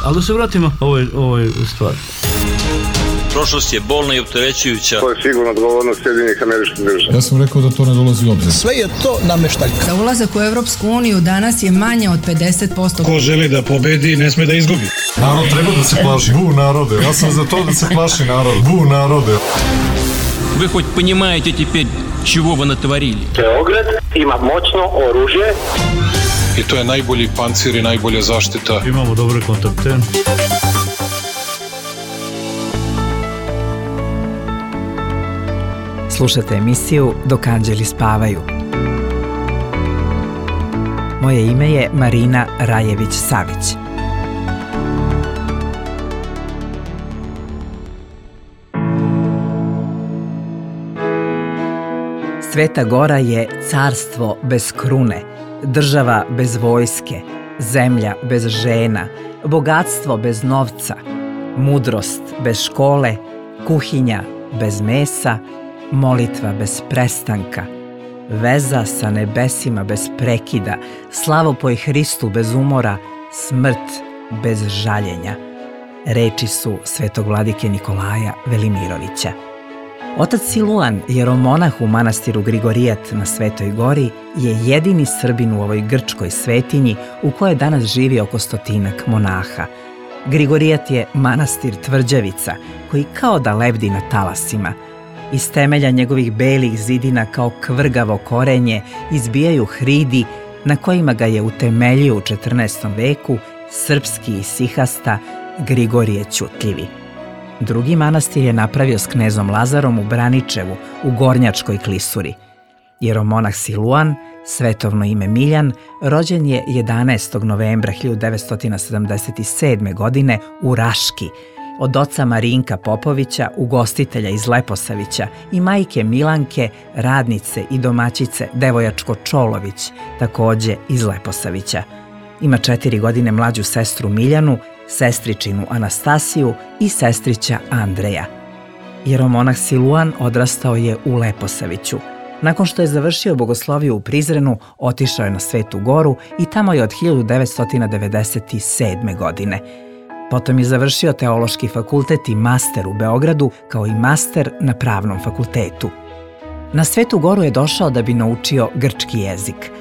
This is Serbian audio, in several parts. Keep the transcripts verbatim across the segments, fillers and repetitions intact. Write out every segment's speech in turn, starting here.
Ali da se vratimo ovoj, ovoj stvari. Prošlost je bolna i opterećujuća. To je sigurno odgovornost Sjedinjenih Američkih Država. Ja sam rekao da to ne dolazi u obzir. Sve je to nameštaljka. Za ulazak u Evropsku uniju danas je manje od pedeset posto. Ko želi da pobedi, ne sme da izgubi. Narod treba da se plaši. Bu narode. Ja sam za to da se plaši narod. Bu narode. Вы хоть понимаете теперь, чего вы натворили? Beograd ima moćno oružje. I to je najbolji pancir i najbolja zaštita. Imamo dobre kontakte. Slušate emisiju Dok anđeli spavaju. Moje ime je Marina Rajević-Savić. Sveta Gora je carstvo bez krune, država bez vojske, zemlja bez žena, bogatstvo bez novca, mudrost bez škole, kuhinja bez mesa, molitva bez prestanka, veza sa nebesima bez prekida, slavopoj Hristu bez umora, smrt bez žaljenja. Reči su svetog vladike Nikolaja Velimirovića. Otac Siluan, jeromonah u manastiru Grigorijat na Svetoj Gori, je jedini Srbin u ovoj grčkoj svetinji u kojoj danas živi oko stotinak monaha. Grigorijat je manastir tvrđavica koji kao da lebdi na talasima. Iz temelja njegovih belih zidina kao kvrgavo korenje izbijaju hridi na kojima ga je utemeljio u četrnaestom veku srpski isihasta Grigorije Ćutljivi. Drugi manastir je napravio s knezom Lazarom u Braničevu, u Gornjačkoj klisuri. Jeromonah Siluan, svetovno ime Miljan, rođen je jedanaestog novembra hiljadu devetsto sedamdeset sedme. godine u Raški, od oca Marinka Popovića, ugostitelja iz Leposavića, i majke Milanke, radnice i domaćice Devojačko Čolović, takođe iz Leposavića. Ima četiri godine mlađu sestru Miljanu, sestričinu Anastasiju i sestrića Andreja. Jeromonah Siluan odrastao je u Leposaviću. Nakon što je završio bogosloviju u Prizrenu, otišao je na Svetu Goru i tamo je od hiljadu devetsto devedeset sedme. godine. Potom je završio Teološki fakultet i master u Beogradu, kao i master na Pravnom fakultetu. Na Svetu Goru je došao da bi naučio grčki jezik.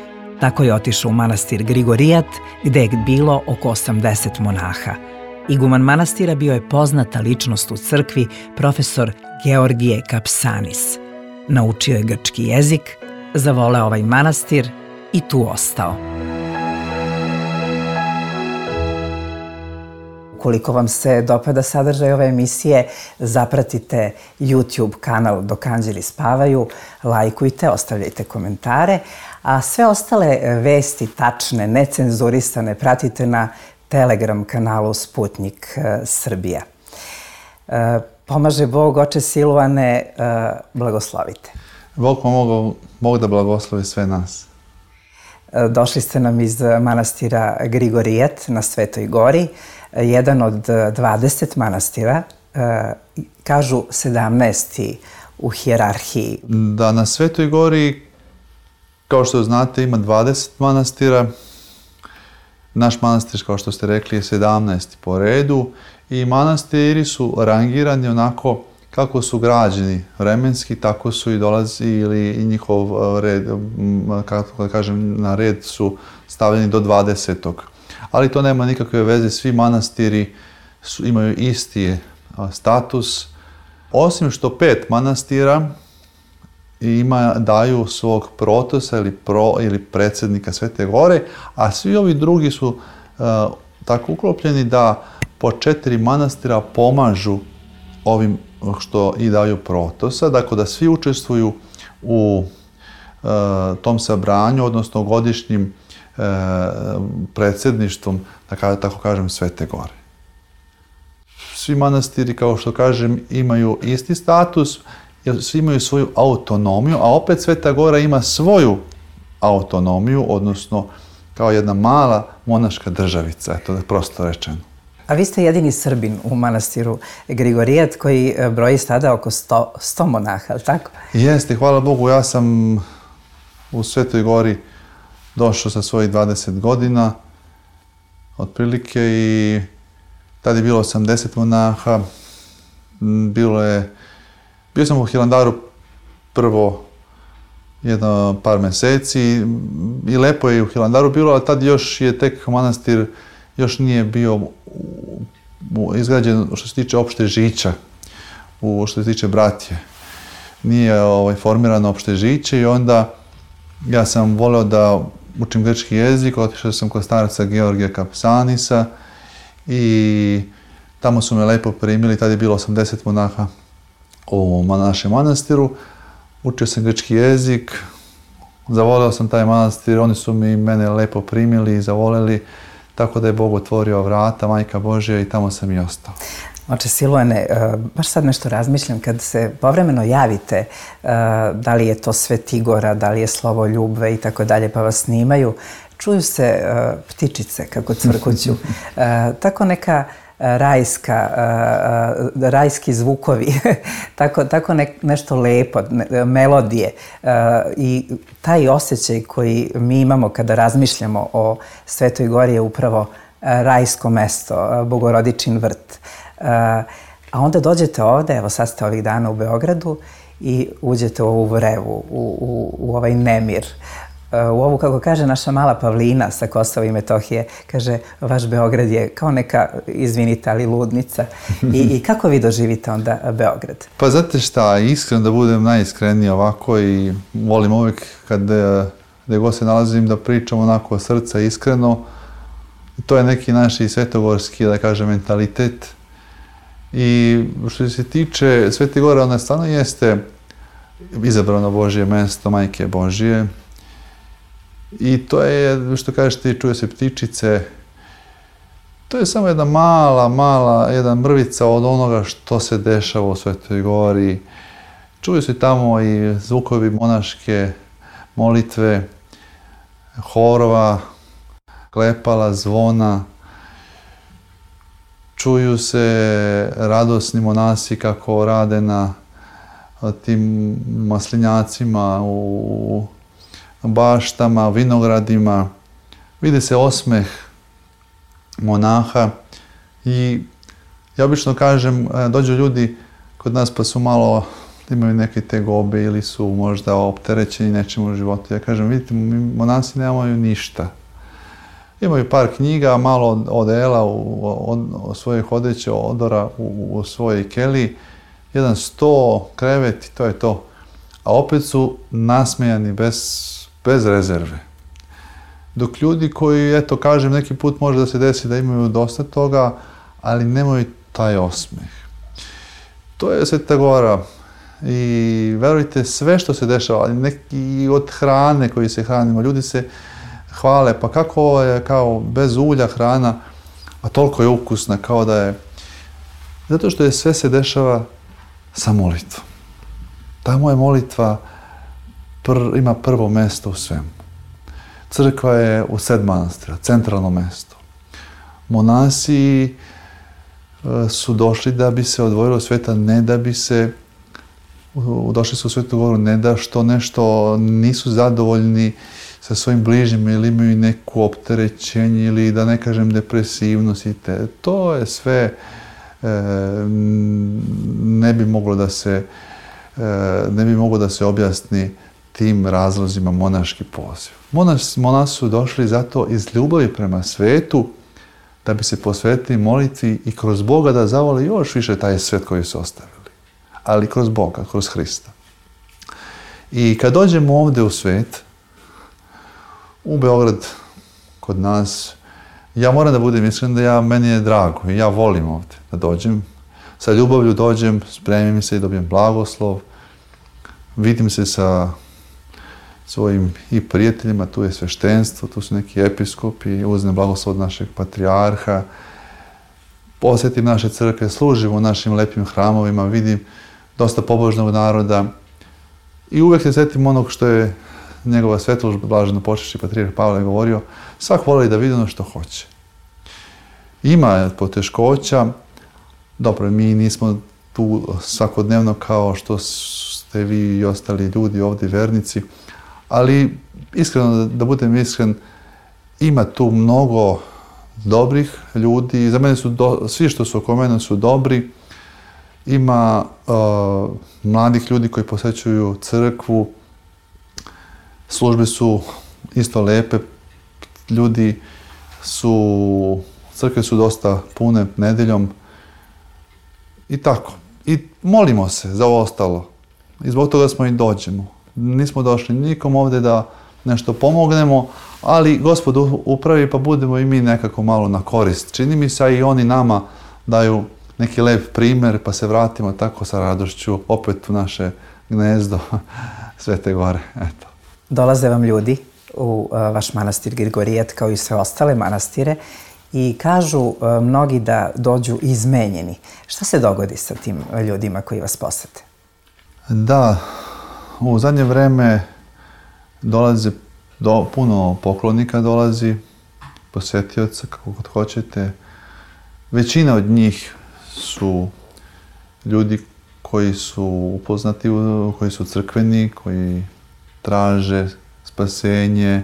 Tako je otišao u manastir Grigorijat, gde je bilo oko osamdeset monaha. Iguman manastira bio je poznata ličnost u crkvi, profesor Georgije Kapsanis. Naučio je grčki jezik, zavoleo ovaj manastir i tu ostao. Ukoliko vam se dopada sadržaj ove emisije, zapratite YouTube kanal Dok anđeli spavaju, lajkujte, ostavljajte komentare, a sve ostale vesti, tačne, necenzurisane, pratite na Telegram kanalu Sputnik Srbija. Pomaže Bog, oče Siluane, blagoslovite. Bog pomogao, Bog da blagoslovi sve nas. Došli ste nam iz manastira Grigorijat na Svetoj Gori, jedan od dvadeset manastira, kažu sedamnaesti u hijerarhiji. Da, na Svetoj Gori, kao što znate, ima dvadeset manastira. Naš manastir, kao što ste rekli, je sedamnaesti po redu i manastiri su rangirani onako kako su građeni vremenski, tako su i dolazili i njihov red, kako da kažem, na red su stavljeni do dvadesetog. Ali to nema nikakve veze, svi manastiri su, imaju isti status, osim što pet manastira ima, daju svog protosa ili, pro, ili predsjednika Svete Gore, a svi ovi drugi su uh, tako uklopljeni da po četiri manastira pomažu ovim što i daju protosa, dakle da svi učestvuju u uh, tom sabranju, odnosno godišnjim uh, predsjedništvom, da tako kažem, Svete Gore. Svi manastiri, kao što kažem, imaju isti status, jer svi imaju svoju autonomiju, a opet Sveta Gora ima svoju autonomiju, odnosno kao jedna mala monaška državica, eto da prosto rečeno. A vi ste jedini Srbin u manastiru Grigorijat koji broji sada oko sto, sto monaha, ali tako? Jeste, hvala Bogu, ja sam u Svetoj Gori došao sa svojih dvadeset godina. otprilike, i tad je bilo osamdeset monaha. Bilo je, bio sam u Hilandaru prvo jedno par mjeseci i lepo je u Hilandaru bilo, ali tad još je tek manastir, još nije bio izgrađen što se tiče opšte žića, u što se tiče bratije. Nije ovaj, formirano opšte žiće i onda ja sam voleo da učim grčki jezik, otišao sam kod starca Georgija Kapsanisa i tamo su me lepo primili, tad je bilo osamdeset monaha u našem manastiru. Učio sam grčki jezik, zavoleo sam taj manastir, oni su mi mene lepo primili i zavoleli, tako da je Bog otvorio vrata, Majka Božja, i tamo sam i ostao. Oče Silvane, baš sad nešto razmišljam, kad se povremeno javite, da li je to Svetigora, da li je Slovo Ljubve i tako dalje, pa vas snimaju, čuju se ptičice kako cvrkuću, tako neka rajska, rajski zvukovi, tako, tako ne, nešto lepo, ne, melodije i taj osjećaj koji mi imamo kada razmišljamo o Svetoj Gori je upravo rajsko mesto, Bogorodičin vrt. A onda dođete ovde, evo sad ste ovih dana u Beogradu i uđete u ovu vrevu, u, u, u ovaj nemir, u ovu, kako kaže naša mala Pavlina sa Kosova i Metohije, kaže, vaš Beograd je kao neka, izvinite, ali ludnica. I, i kako vi doživite onda Beograd? Pa znate šta, iskreno da budem najiskreniji ovako, i volim uvijek kad gdje god se nalazim da pričam onako od srca iskreno. To je neki naš i svetogorski, da kažem, mentalitet. I što se tiče Svete Gore, ona stvarno jeste izabrano Božje mesto, Majke Božje. I to je, što kažeš ti, čuje se ptičice, to je samo jedna mala, mala, jedna mrvica od onoga što se dešava u Svetoj Gori. Čuju se tamo i zvukovi monaške molitve, horova, klepala, zvona. Čuju se radosni monasi kako rade na tim maslinjacima, u baštama, vinogradima. Vidi se osmeh monaha i ja obično kažem, dođu ljudi kod nas pa su malo, imaju neke tegobe ili su možda opterećeni nečim u životu. Ja kažem, vidite, monasi nemaju ništa. Imaju par knjiga, malo odela, od svojih odeća, odora u, u svojoj keliji, jedan sto, krevet i to je to. A opet su nasmejani bez, bez rezerve. Dok ljudi koji, eto, kažem, neki put može da se desi da imaju dosta toga, ali nemaju taj osmeh. To je Sveta Gora. I verujte, sve što se dešava, neki od hrane koji se hranimo, ljudi se hvale, pa kako je kao bez ulja hrana, a toliko je ukusna, kao da je... Zato što je sve se dešava sa molitvom. Tamo je molitva, pr, ima prvo mesto u svemu. Crkva je u sred manastira, centralno mesto. Monasi su došli da bi se odvojili od sveta, ne da bi se... Došli su u Svetu Goru, ne da što nešto nisu zadovoljni sa svojim bližnjima ili imaju neku opterećenje ili da ne kažem depresivnost i te. To je sve, e, ne bi moglo da se, e, ne bi moglo da se objasni tim razlozima monaški poziv. Monas, monasi su došli zato iz ljubavi prema svetu da bi se posvetili molitvi i kroz Boga da zavole još više taj svet koji su ostavili. Ali kroz Boga, kroz Hrista. I kad dođemo ovdje u svet, u Beograd, kod nas, ja moram da budem iskren da ja, meni je drago i ja volim ovdje da dođem. Sa ljubavlju dođem, spremim se i dobijem blagoslov, vidim se sa svojim i prijateljima, tu je sveštenstvo, tu su neki episkopi, uzmem blagoslov od našeg patrijarha, posjetim naše crkve, služim u našim lepim hramovima, vidim dosta pobožnog naroda i uvijek se sjetim onog što je njegova svetlost, blaženo počešći patrijarh Pavle govorio, svak voli da vidi ono što hoće. Ima poteškoća, dobro, mi nismo tu svakodnevno kao što ste vi i ostali ljudi ovdje, vernici, ali iskreno, da budem iskren, ima tu mnogo dobrih ljudi. Za mene su, do, svi što su oko mene su dobri. Ima uh, mladih ljudi koji posjećuju crkvu. Službe su isto lepe. Ljudi su, crkve su dosta pune nedeljom. I tako. I molimo se za ovo ostalo. I zbog toga smo i dođemo. Nismo došli nikom ovdje da nešto pomognemo, ali Gospod upravi pa budemo i mi nekako malo na korist. Čini mi se i oni nama daju neki lep primjer pa se vratimo tako sa radošću opet u naše gnezdo Svete Gore. Eto. Dolaze vam ljudi u vaš manastir Grigorijet kao i sve ostale manastire i kažu mnogi da dođu izmenjeni. Šta se dogodi sa tim ljudima koji vas posete? Da, u zadnje vreme dolaze do, puno poklonika dolazi, posjetioca, kako god hoćete. Većina od njih su ljudi koji su upoznati, koji su crkveni, koji traže spasenje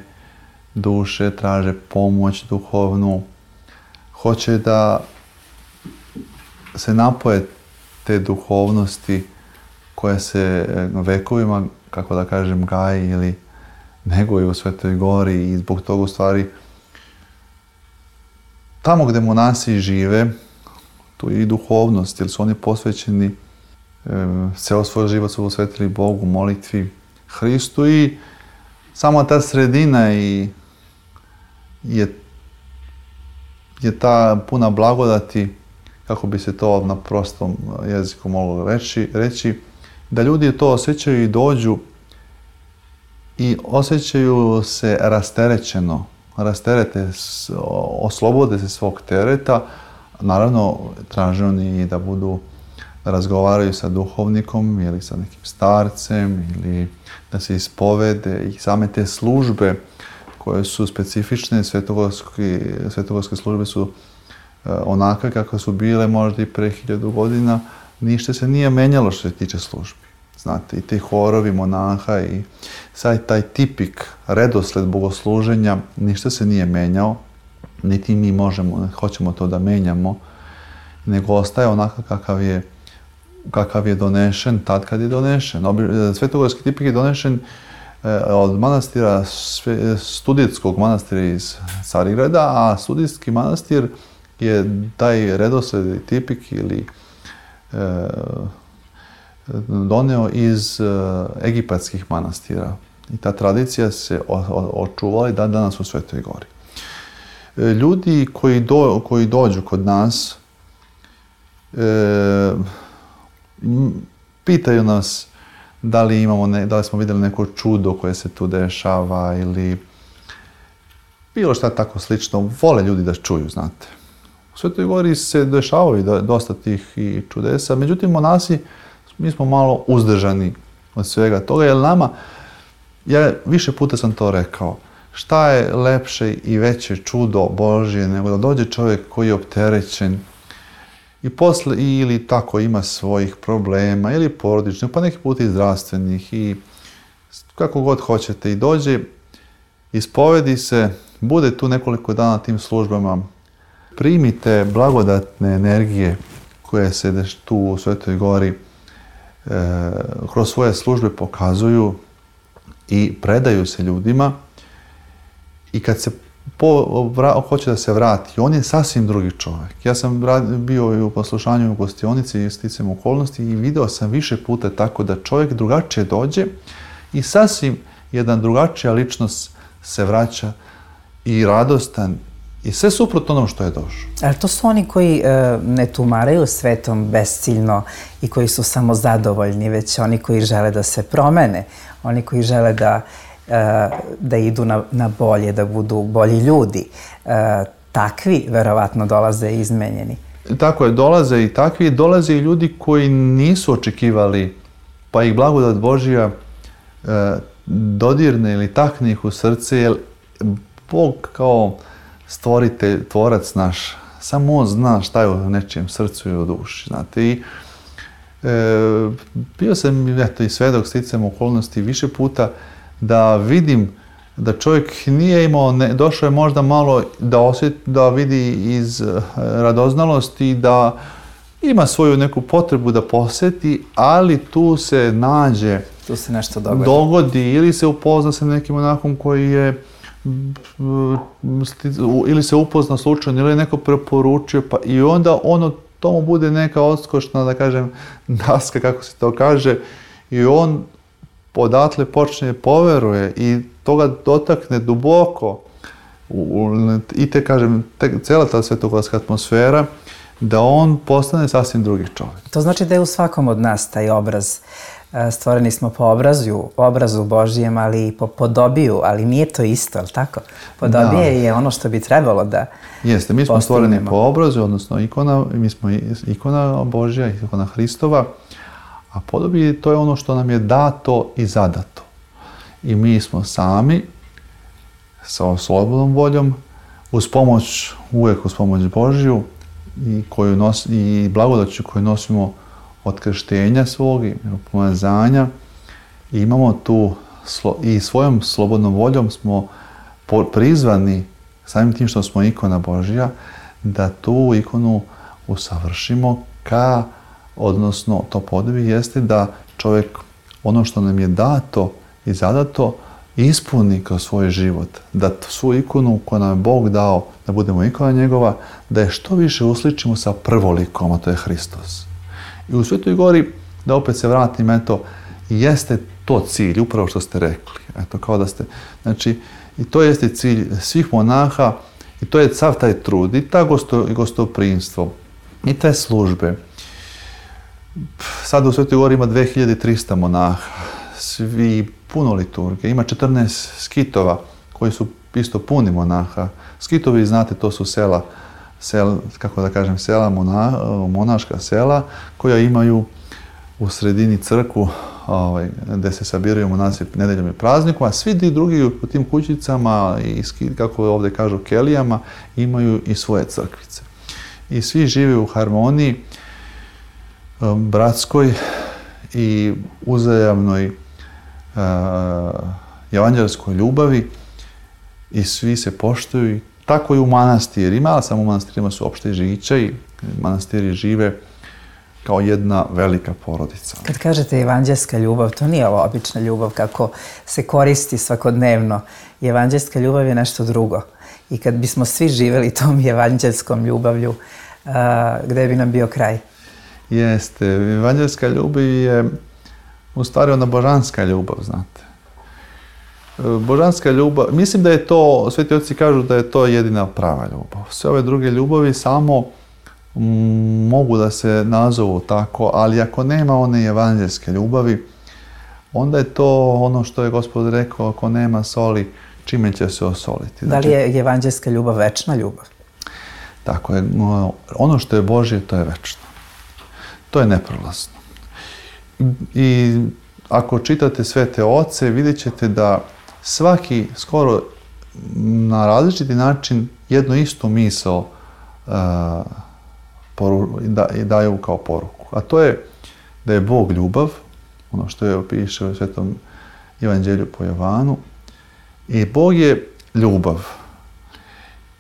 duše, traže pomoć duhovnu. Hoće da se napoje te duhovnosti koja se vekovima, kako da kažem, gaji ili neguju u Svetoj Gori i zbog toga u stvari tamo gdje monasi žive, tu je i duhovnost, jer su oni posvećeni, e, ceo svoj život su posvetili Bogu, molitvi, Hristu i samo ta sredina i je, je ta puna blagodati, kako bi se to na prostom jeziku moglo reći, reći, da ljudi to osjećaju i dođu i osjećaju se rasterećeno, rasterete, oslobode se svog tereta. Naravno, traže oni da budu, da razgovaraju sa duhovnikom ili sa nekim starcem ili da se ispovede i same te službe koje su specifične, svetogorske, svetogorske službe su onakve kako su bile možda i pre hiljadu godina, ništa se nije menjalo što se tiče službi. Znate, i te horovi monaha i sad taj tipik redosled bogosluženja, ništa se nije menjao, niti mi možemo, hoćemo to da menjamo, nego ostaje onako kakav je, kakav je donešen tad kad je donešen. Svetogorski tipik je donešen od manastira, studijskog manastira iz Carigrada, a studijski manastir je taj redosled tipik ili e, doneo iz uh, egipatskih manastira. I ta tradicija se očuvala i dan danas u Svetoj Gori. E, ljudi koji, do, koji dođu kod nas e, pitaju nas da li, imamo ne, da li smo vidjeli neko čudo koje se tu dešava ili bilo šta tako slično. Vole ljudi da čuju, znate. U Svetoj Gori se dešavaju dosta tih i čudesa, međutim monasi mi smo malo uzdržani od svega toga, jer nama, ja više puta sam to rekao, šta je lepše i veće čudo Božje nego da dođe čovjek koji je opterećen i posle ili tako ima svojih problema ili porodičnih, pa neki put i zdravstvenih i kako god hoćete i dođe, ispovedi se, bude tu nekoliko dana na tim službama, primite blagodatne energije koje se tu u Svetoj Gori E, kroz svoje službe pokazuju i predaju se ljudima i kad se po, vra, hoće da se vrati, on je sasvim drugi čovjek. Ja sam bio i u poslušanju u gostionici i sticam okolnosti i video sam više puta tako da čovjek drugačije dođe i sasvim jedan drugačija ličnost se vraća i radostan i sve suprotno onom što je došao. Ali to su oni koji e, ne tumaraju svetom besciljno i koji su samo zadovoljni, već oni koji žele da se promene, oni koji žele da, e, da idu na, na bolje, da budu bolji ljudi. E, takvi verovatno dolaze izmenjeni. Tako je, dolaze i takvi, dolaze i ljudi koji nisu očekivali, pa ih blagodat Božja e, dodirne ili takne ih u srce, jer Bog kao stvoritelj, tvorac naš, samo on zna šta je u nečijem srcu i u duši, znate. I e, bio sam, eto, i svedok sticam okolnosti više puta da vidim da čovjek nije imao, ne, došao je možda malo da osjeti, da vidi iz radoznalosti, da ima svoju neku potrebu da posjeti, ali tu se nađe, tu se nešto dogodi. dogodi ili se upozna sa nekim monakom koji je, ili se upozna slučajno, ili je neko preporučio, pa i onda ono, tomu bude neka odskočna, da kažem, daska, kako se to kaže, i on odatle počne poveruje i toga dotakne duboko u, i te, kažem, te, cijela ta svetogorska atmosfera, da on postane sasvim drugi čovjek. To znači da je u svakom od nas taj obraz. Stvoreni smo po obrazu, obrazu Božijem, ali i po podobiju, ali nije to isto, ali tako? Podobije da. Je ono što bi trebalo da Jeste, mi smo stvoreni po obrazu, odnosno ikona, mi smo ikona Božja, ikona Hristova, a podobije to je ono što nam je dato i zadato. I mi smo sami, sa slobodnom voljom, uz pomoć, uvijek uz pomoć Božju, i, koju nos, i blagodaću koju nosimo od krštenja svog i pomazanja, i imamo tu i svojom slobodnom voljom smo prizvani, samim tim što smo ikona Božja, da tu ikonu usavršimo ka, odnosno to podobi jeste da čovjek ono što nam je dato i zadato ispuni kroz svoj život, da svu ikonu koju nam je Bog dao, da budemo ikona njegova, da je što više usličimo sa prvolikom, a to je Hristos. I u Svetoj Gori, da opet se vratim, eto, jeste to cilj, upravo što ste rekli. Eto, kao da ste, znači, i to jeste cilj svih monaha, i to je sav taj trud, i ta gosto, i gostoprimstvo, i te službe. Sad u Svetoj Gori ima dve hiljade trista monaha, svi puno liturgije, ima četrnaest skitova koji su isto puni monaha. Skitovi, znate, to su sela, sel, kako da kažem, sela, mona, monaška sela koja imaju u sredini crkvu, ovaj, gde se sabiraju monasi nedeljom i praznikom, a svi drugi u tim kućicama i, kako ovdje kažu, kelijama, imaju i svoje crkvice. I svi žive u harmoniji um, bratskoj i uzajamnoj uh, evanđelskoj ljubavi, i svi se poštuju. Tako i u manastirima, ali samo u manastirima su opšte žića i manastiri žive kao jedna velika porodica. Kad kažete evanđelska ljubav, to nije ova obična ljubav kako se koristi svakodnevno. Evanđelska ljubav je nešto drugo. I kad bismo svi živjeli tom evanđelskom ljubavlju, a, gde bi nam bio kraj? Jeste, evanđelska ljubav je u stvari ona božanska ljubav, znate. Božanska ljubav, mislim da je to, sveti oci kažu da je to jedina prava ljubav. Sve ove druge ljubavi samo m, mogu da se nazovu tako, ali ako nema one evanđelske ljubavi, onda je to ono što je Gospod rekao, ako nema soli, čime će se osoliti. Da li je evanđelska ljubav večna ljubav? Tako je. Ono što je Božje, to je večno. To je neprolazno. I ako čitate Svete oce, vidjet ćete da svaki skoro na različiti način jednu istu misao uh, poru, da, daju kao poruku. A to je da je Bog ljubav, ono što je opiše u Svetom Evanđelju po Jovanu, i Bog je ljubav.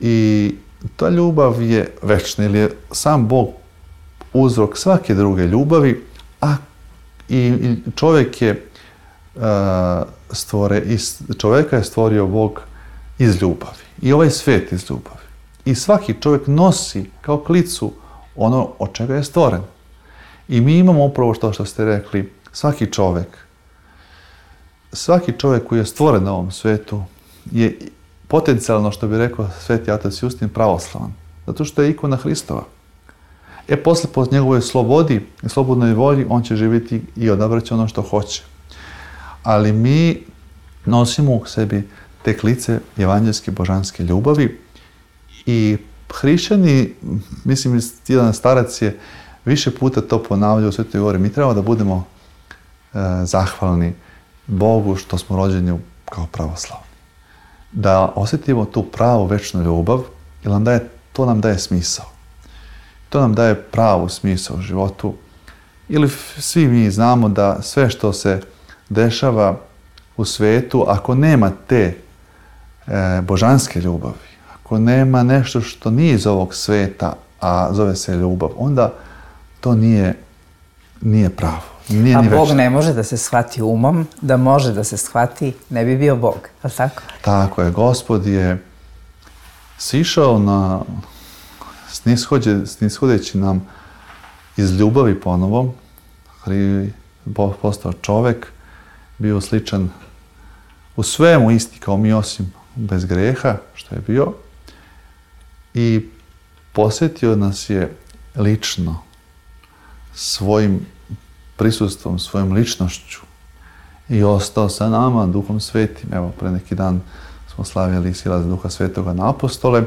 I ta ljubav je večna, ili je sam Bog uzrok svake druge ljubavi, a i, i čovjek je uh, stvore, iz čovjeka je stvorio Bog iz ljubavi. I ovaj svijet iz ljubavi. I svaki čovjek nosi kao klicu ono od čega je stvoren. I mi imamo upravo što što ste rekli, svaki čovjek, svaki čovjek koji je stvoren na ovom svijetu je potencijalno, što bi rekao sveti otac Justin, pravoslavan. Zato što je ikona Hristova. E, posle po njegovoj slobodi i slobodnoj volji on će živjeti i odabrati ono što hoće. Ali mi nosimo u sebi te klice evanđelske božanske ljubavi i hrišćani, mislim, jedan starac je više puta to ponavljao u Svetoj Gori, mi trebamo da budemo e, zahvalni Bogu što smo rođeni kao pravoslavni. Da osjetimo tu pravu večnu ljubav, jer nam daje, to nam daje smisao. To nam daje pravu smisao u životu. Ili svi mi znamo da sve što se dešava u svetu, ako nema te e, božanske ljubavi, ako nema nešto što nije iz ovog sveta, a zove se ljubav, onda to nije, nije pravo. Nije a ni Bog večno. ne može da se shvati umom, da može da se shvati, ne bi bio Bog, ali tako? Tako je, Gospod je sišao na snishođe, snishodeći nam iz ljubavi ponovo, postao čovek, bio sličan u svemu isti kao mi, osim bez greha, što je bio, i posjetio nas je lično, svojim prisustvom, svojom ličnošću i ostao sa nama Duhom Svetim. Evo, pre neki dan smo slavili silaz Duha Svetoga na apostole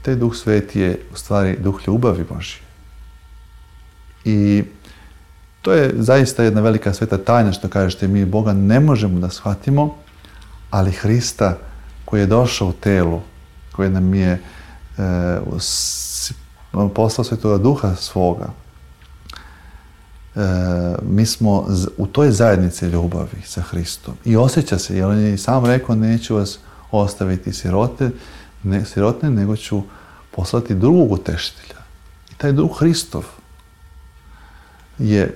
i taj Duh Sveti je u stvari Duh ljubavi Božje. I to je zaista jedna velika sveta tajna, što kažete, mi Boga ne možemo da shvatimo, ali Hrista koji je došao u telu, koji nam je e, poslao Svetoga Duha svoga, e, mi smo u toj zajednici ljubavi sa Hristom. I osjeća se, jer on je sam rekao, neću vas ostaviti sirote, ne, sirotne, nego ću poslati drugog utešitelja. I taj Duh Hristov je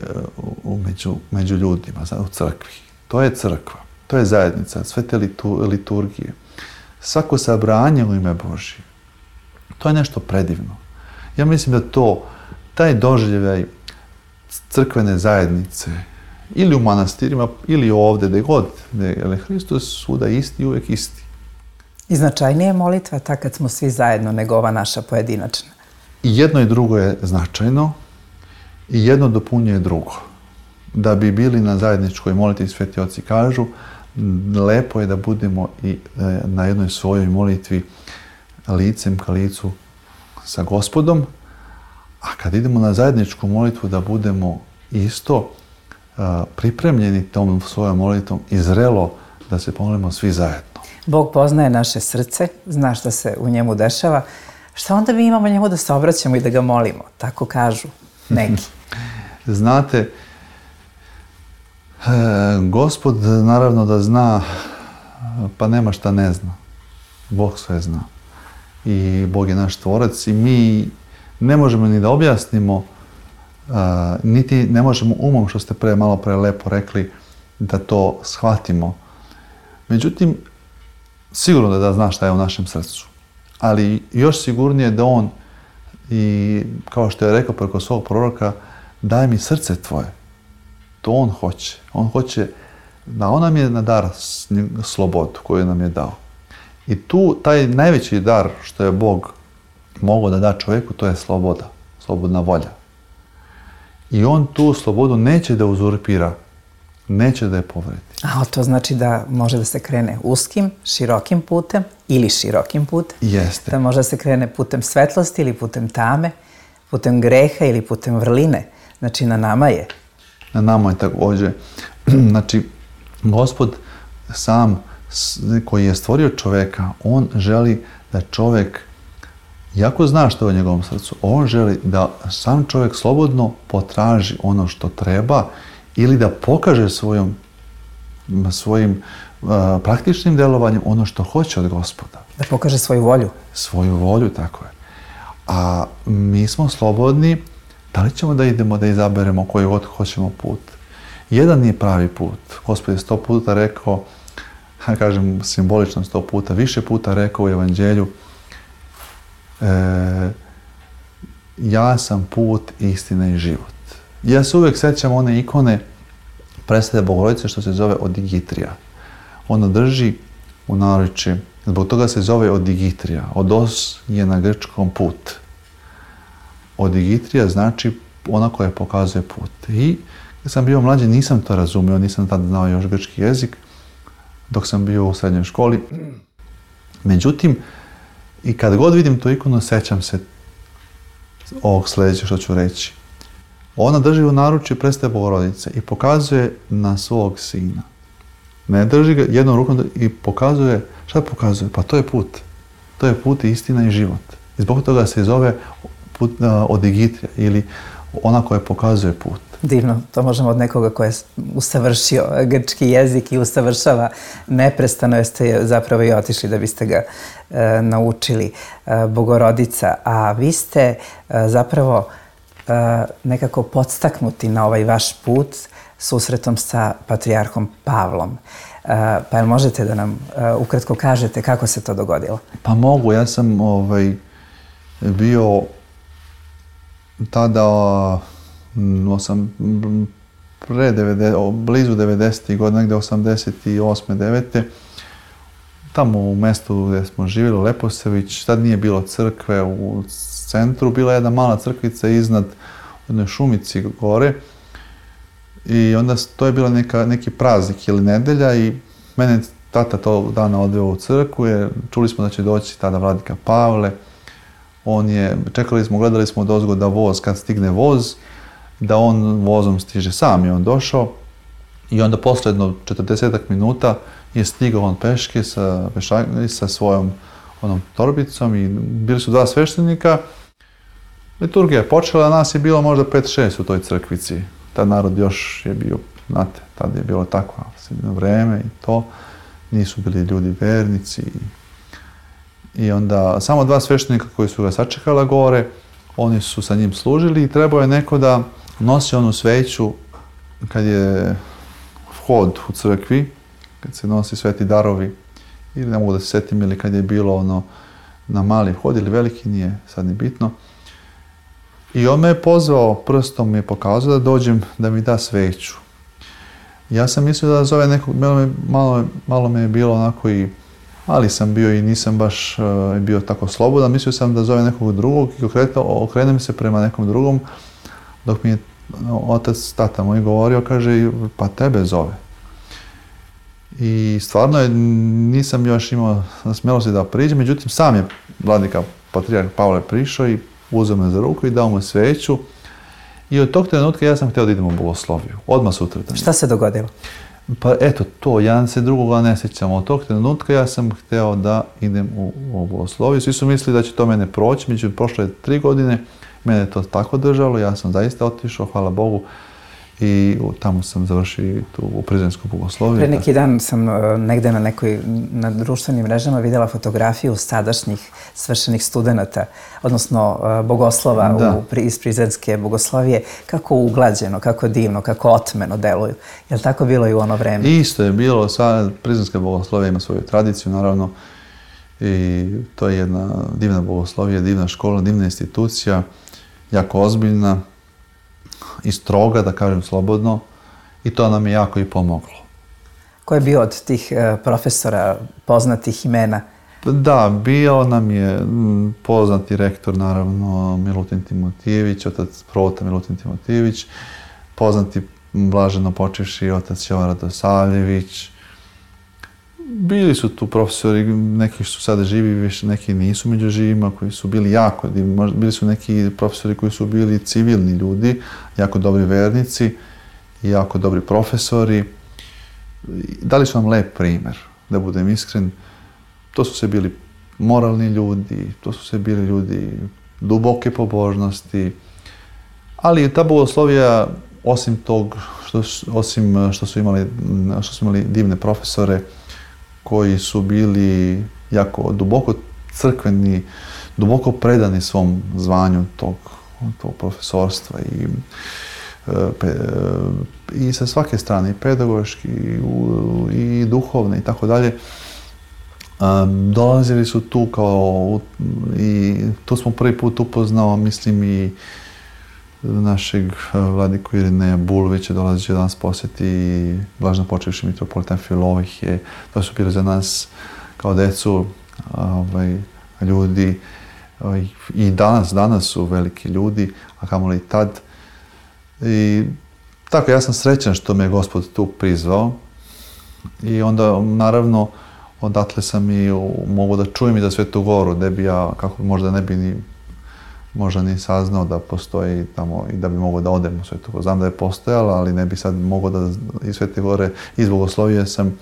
uh, među, među ljudima, u crkvi. To je crkva, to je zajednica, sve te liturgije. Svako sabranje u ime Božje. To je nešto predivno. Ja mislim da to, taj doživljaj crkvene zajednice, ili u manastirima, ili ovdje, gdje god, gdje je Hristos svuda isti i uvijek isti. I značajnije je molitva ta kad smo svi zajedno nego ova naša pojedinačna. I jedno i drugo je značajno i jedno dopunjuje drugo. Da bi bili na zajedničkoj molitvi, sveti oci kažu, lepo je da budemo i na jednoj svojoj molitvi licem ka licu sa Gospodom, a kad idemo na zajedničku molitvu da budemo isto pripremljeni tom svojom molitvom i zrelo da se pomolimo svi zajedno. Bog poznaje naše srce, zna šta se u njemu dešava. Šta onda mi imamo njemu da se obraćamo i da ga molimo? Tako kažu neki. Znate, e, Gospod naravno da zna, pa nema šta ne zna. Bog sve zna. I Bog je naš tvorac i mi ne možemo ni da objasnimo, a, niti ne možemo umom, što ste pre malo pre lepo rekli, da to shvatimo. Međutim, sigurno da, da zna šta je u našem srcu. Ali još sigurnije da on, i kao što je rekao preko svog proroka, daj mi srce tvoje. To on hoće. On hoće, da on nam je na dar slobodu koju nam je dao. I tu taj najveći dar što je Bog mogao da da čovjeku, to je sloboda, slobodna volja. I on tu slobodu neće da uzurpira, neće da je povredi. A to znači da može da se krene uskim, širokim putem ili širokim putem. Jeste. Da može da se krene putem svetlosti ili putem tame, putem greha ili putem vrline. Znači na nama je. Na nama je također. Znači, Gospod sam koji je stvorio čovjeka, on želi da čovjek, iako zna što je u njegovom srcu, on želi da sam čovjek slobodno potraži ono što treba ili da pokaže svojom, svojim uh, praktičnim delovanjem ono što hoće od Gospoda. Da pokaže svoju volju. Svoju volju, tako je. A mi smo slobodni, da li ćemo da idemo da izaberemo koji god hoćemo put. Jedan nije pravi put. Gospod je sto puta rekao, ja kažem simbolično sto puta, više puta rekao u Evanđelju, e, ja sam put, istina i život. Ja se uvijek sećam one ikone predstave Bogorodice što se zove Odigitrija. Ona drži u naručju, zbog toga se zove Odigitrija. Odos je na grčkom put. Odigitrija znači ona koja pokazuje put. I kad sam bio mlađi nisam to razumio, nisam tada znao još grčki jezik, dok sam bio u srednjoj školi. Međutim, i kad god vidim tu ikonu, sećam se ovog sljedećeg što ću reći. Ona drži u naručju predstave Bogorodice i pokazuje na svog sina. Ne drži ga jednom rukom i pokazuje, šta pokazuje? Pa to je put. To je put, istina i život. I zbog toga se zove put uh, Odigitrija ili ona koja pokazuje put. Divno, to možemo od nekoga ko je usavršio grčki jezik i usavršava neprestano, jeste zapravo i otišli da biste ga e, naučili. E, Bogorodica, a vi ste e, zapravo e, nekako podstaknuti na ovaj vaš put susretom sa patrijarhom Pavlom. E, pa jel možete da nam e, ukratko kažete kako se to dogodilo? Pa mogu, ja sam ovaj, bio tada osam, pre devedeset, blizu devedesetih godina, negde osamdeset osme devete tamo u mestu gdje smo živjeli, Leposević, tad nije bilo crkve u centru, bila je jedna mala crkvica iznad u jednoj šumici gore i onda to je bila neka, neki praznik ili nedelja i mene tata tog dana odveo u crkvu jer čuli smo da će doći tada vladika Pavle. On je, čekali smo, gledali smo odozgo da voz, kad stigne voz, da on vozom stiže sam i on došao i onda posle jedno četrdesetak minuta je stigao on peške sa, sa svojom onom torbicom i bili su dva sveštenika. Liturgija je počela, a nas je bilo možda pet šest u toj crkvici. Tad narod još je bio, znate, tad je bilo takvo vreme i to. Nisu bili ljudi vernici. I onda samo dva sveštenika koji su ga sačekala gore, oni su sa njim služili i trebao je neko da nosi onu sveću kad je vhod u crkvi, kad se nosi sveti darovi, ili ne mogu da se setim, ili kad je bilo ono na mali vhod ili veliki, nije sad ni bitno. I on me je pozvao, prstom mi je pokazao da dođem da mi da sveću. Ja sam mislio da zove nekog, malo, malo, malo me je bilo onako i, ali sam bio i nisam baš uh, bio tako slobodan, mislio sam da zove nekog drugog i okrenem se prema nekom drugom, dok mi je otac, tata moj govorio, kaže, pa tebe zove. I stvarno je, nisam još imao smelosti da priđem, međutim sam je vladika patrijarh Pavle prišao i uzeo me za ruku i dao mu sveću. I od tog trenutka ja sam htio da idem u bogosloviju, odmah sutradan. Šta se dogodilo? Pa eto to, ja se drugoga ne sjećam. Od tog trenutka ja sam htio da idem u, u bogosloviju. Svi su mislili da će to mene proći, međutim prošle tri godine, mene je to tako držalo, ja sam zaista otišao, hvala Bogu, i tamo sam završio tu u Prizrensku bogosloviju. Pre neki dan sam negde na nekoj, na društvenim mrežama vidjela fotografiju sadašnjih svršenih studenata, odnosno bogoslova u, iz Prizrenske bogoslovije, kako uglađeno, kako divno, kako otmeno deluju. Je li tako bilo i u ono vreme? Isto je bilo, sva Prizrenska bogoslovija ima svoju tradiciju, naravno, i to je jedna divna bogoslovija, divna škola, divna institucija, jako ozbiljna i stroga, da kažem slobodno, i to nam je jako i pomoglo. Ko je bio od tih profesora poznatih imena? Da, bio nam je poznati rektor, naravno, Milutin Timotijević, otac prota Milutin Timotijević, poznati blaženo počivši otac Jovan Radosavljević. Bili su tu profesori, neki su sada živi, više neki nisu među živima, koji su bili jako divni. Bili su neki profesori koji su bili civilni ljudi, jako dobri vernici i jako dobri profesori. Dali su nam lep primjer, da budem iskren. To su se bili moralni ljudi, to su se bili ljudi duboke pobožnosti, ali ta bogoslovija, osim tog, što, osim što su imali, što su imali divne profesore, koji su bili jako duboko crkveni, duboko predani svom zvanju tog, tog profesorstva i, i sa svake strane, i pedagoški, i, i duhovne i tako dalje. Dolazili su tu kao, i tu smo prvi put upoznao, mislim, i našeg vladiku Irineja Bulvića, dolazi da nas posjeti i blažno počevši mitropolitan Filohije. To su bili za nas kao decu ovaj, ljudi ovaj, i danas, danas su veliki ljudi, a kamoli tad. I tako, ja sam srećan što me je Gospod tu prizvao i onda, naravno, odatle sam i mogu da čujem i za Svetu Goru, gde bi ja, kako možda ne bi ni možda ni saznao da postoji tamo i da bi mogao da odem u Svetu Goru. Znam da je postojala, ali ne bi sad mogao da iz Svete Gore, iz bogoslovije sam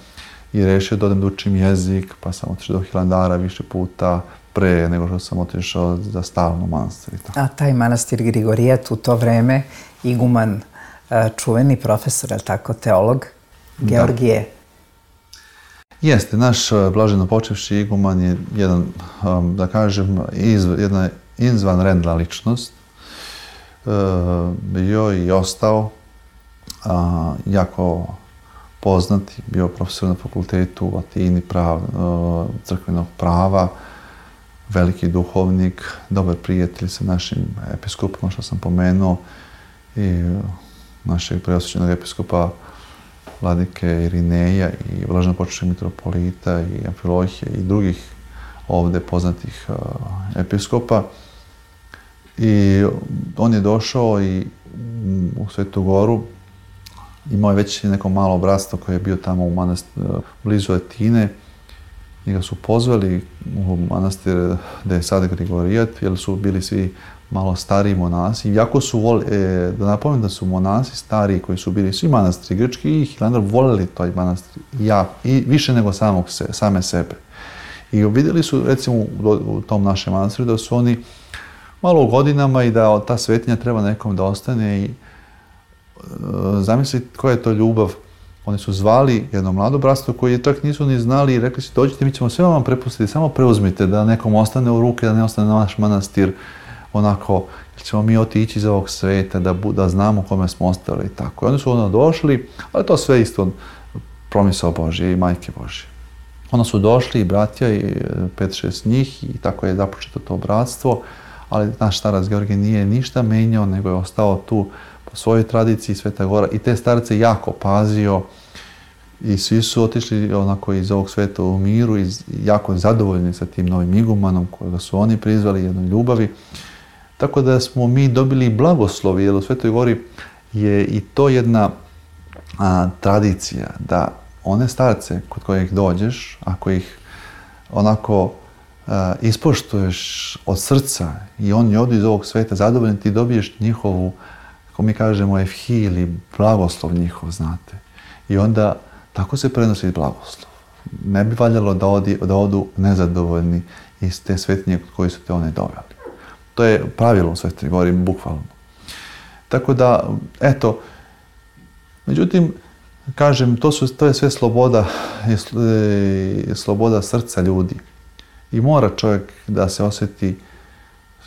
i rešio da odem da učim jezik, pa sam otišao do Hilandara više puta, pre nego što sam otišao za stalno manastir. A taj manastir Grigorijat u to vreme, iguman, čuveni profesor, je li tako, teolog, Georgije? Jeste, naš blaženo počevši iguman je jedan, da kažem, jedna izvanredna ličnost. Bio i ostao jako poznati, bio profesor na fakultetu u Atini, prav, crkvenog prava, veliki duhovnik, dobar prijatelj sa našim episkopom, što sam pomenuo, i našeg preosvećenog episkopa vladike Irineja i blaženopočevšeg mitropolita i Amfilohija i drugih ovde poznatih episkopa. I on je došao i u Svetu Goru, imao je već neko malo bratstvo koje je bio tamo u manastiru blizu Atine. Njega su pozvali u manastir gde je sad Grigorijat, jer su bili svi malo stariji monasi. Iako su voli, e, da napomenem da su monasi stariji koji su bili svi manastiri grčki i Hilandar voleli taj manastir ja, i više nego samog se, same sebe. I vidjeli su recimo u, u tom našem manastiru da su oni malo u godinama i da ta svetinja treba nekom da ostane i e, zamislite koja je to ljubav. Oni su zvali jedno mlado bratstvo koje čak nisu ni znali i rekli su dođite, mi ćemo sve vam prepustiti, samo preuzmite da nekom ostane u ruke, da ne ostane naš manastir onako, jer ćemo mi otići iz ovog sveta, da, da znamo kome smo ostali i tako. I oni su onda došli, ali to sve isto promisao Božje i Majke Božje. Onda su došli i bratja i pet, šest njih i tako je započeto to bratstvo, ali naš starac Georgije nije ništa menjao, nego je ostao tu po svojoj tradiciji Sveta Gora i te starce jako pazio i svi su otišli onako iz ovog sveta u miru i jako zadovoljni sa tim novim igumanom kojega su oni prizvali jednoj ljubavi. Tako da smo mi dobili blagoslovi, jer u Svetoj Gori je i to jedna a, tradicija da one starce kod kojih dođeš, ako ih onako a, ispoštuješ od srca i oni odu iz ovog sveta zadovoljni, ti dobiješ njihovu, kako mi kažemo, efhi ili blagoslov njihov, znate. I onda tako se prenosi blagoslov. Ne bi valjalo da, odi, da odu nezadovoljni iz te svetinje kod koje su te one doveli. To je pravilo u Svetoj Gori, bukvalno. Tako da, eto, međutim, kažem, to, su, to je sve sloboda, je sloboda srca ljudi. I mora čovjek da se osjeti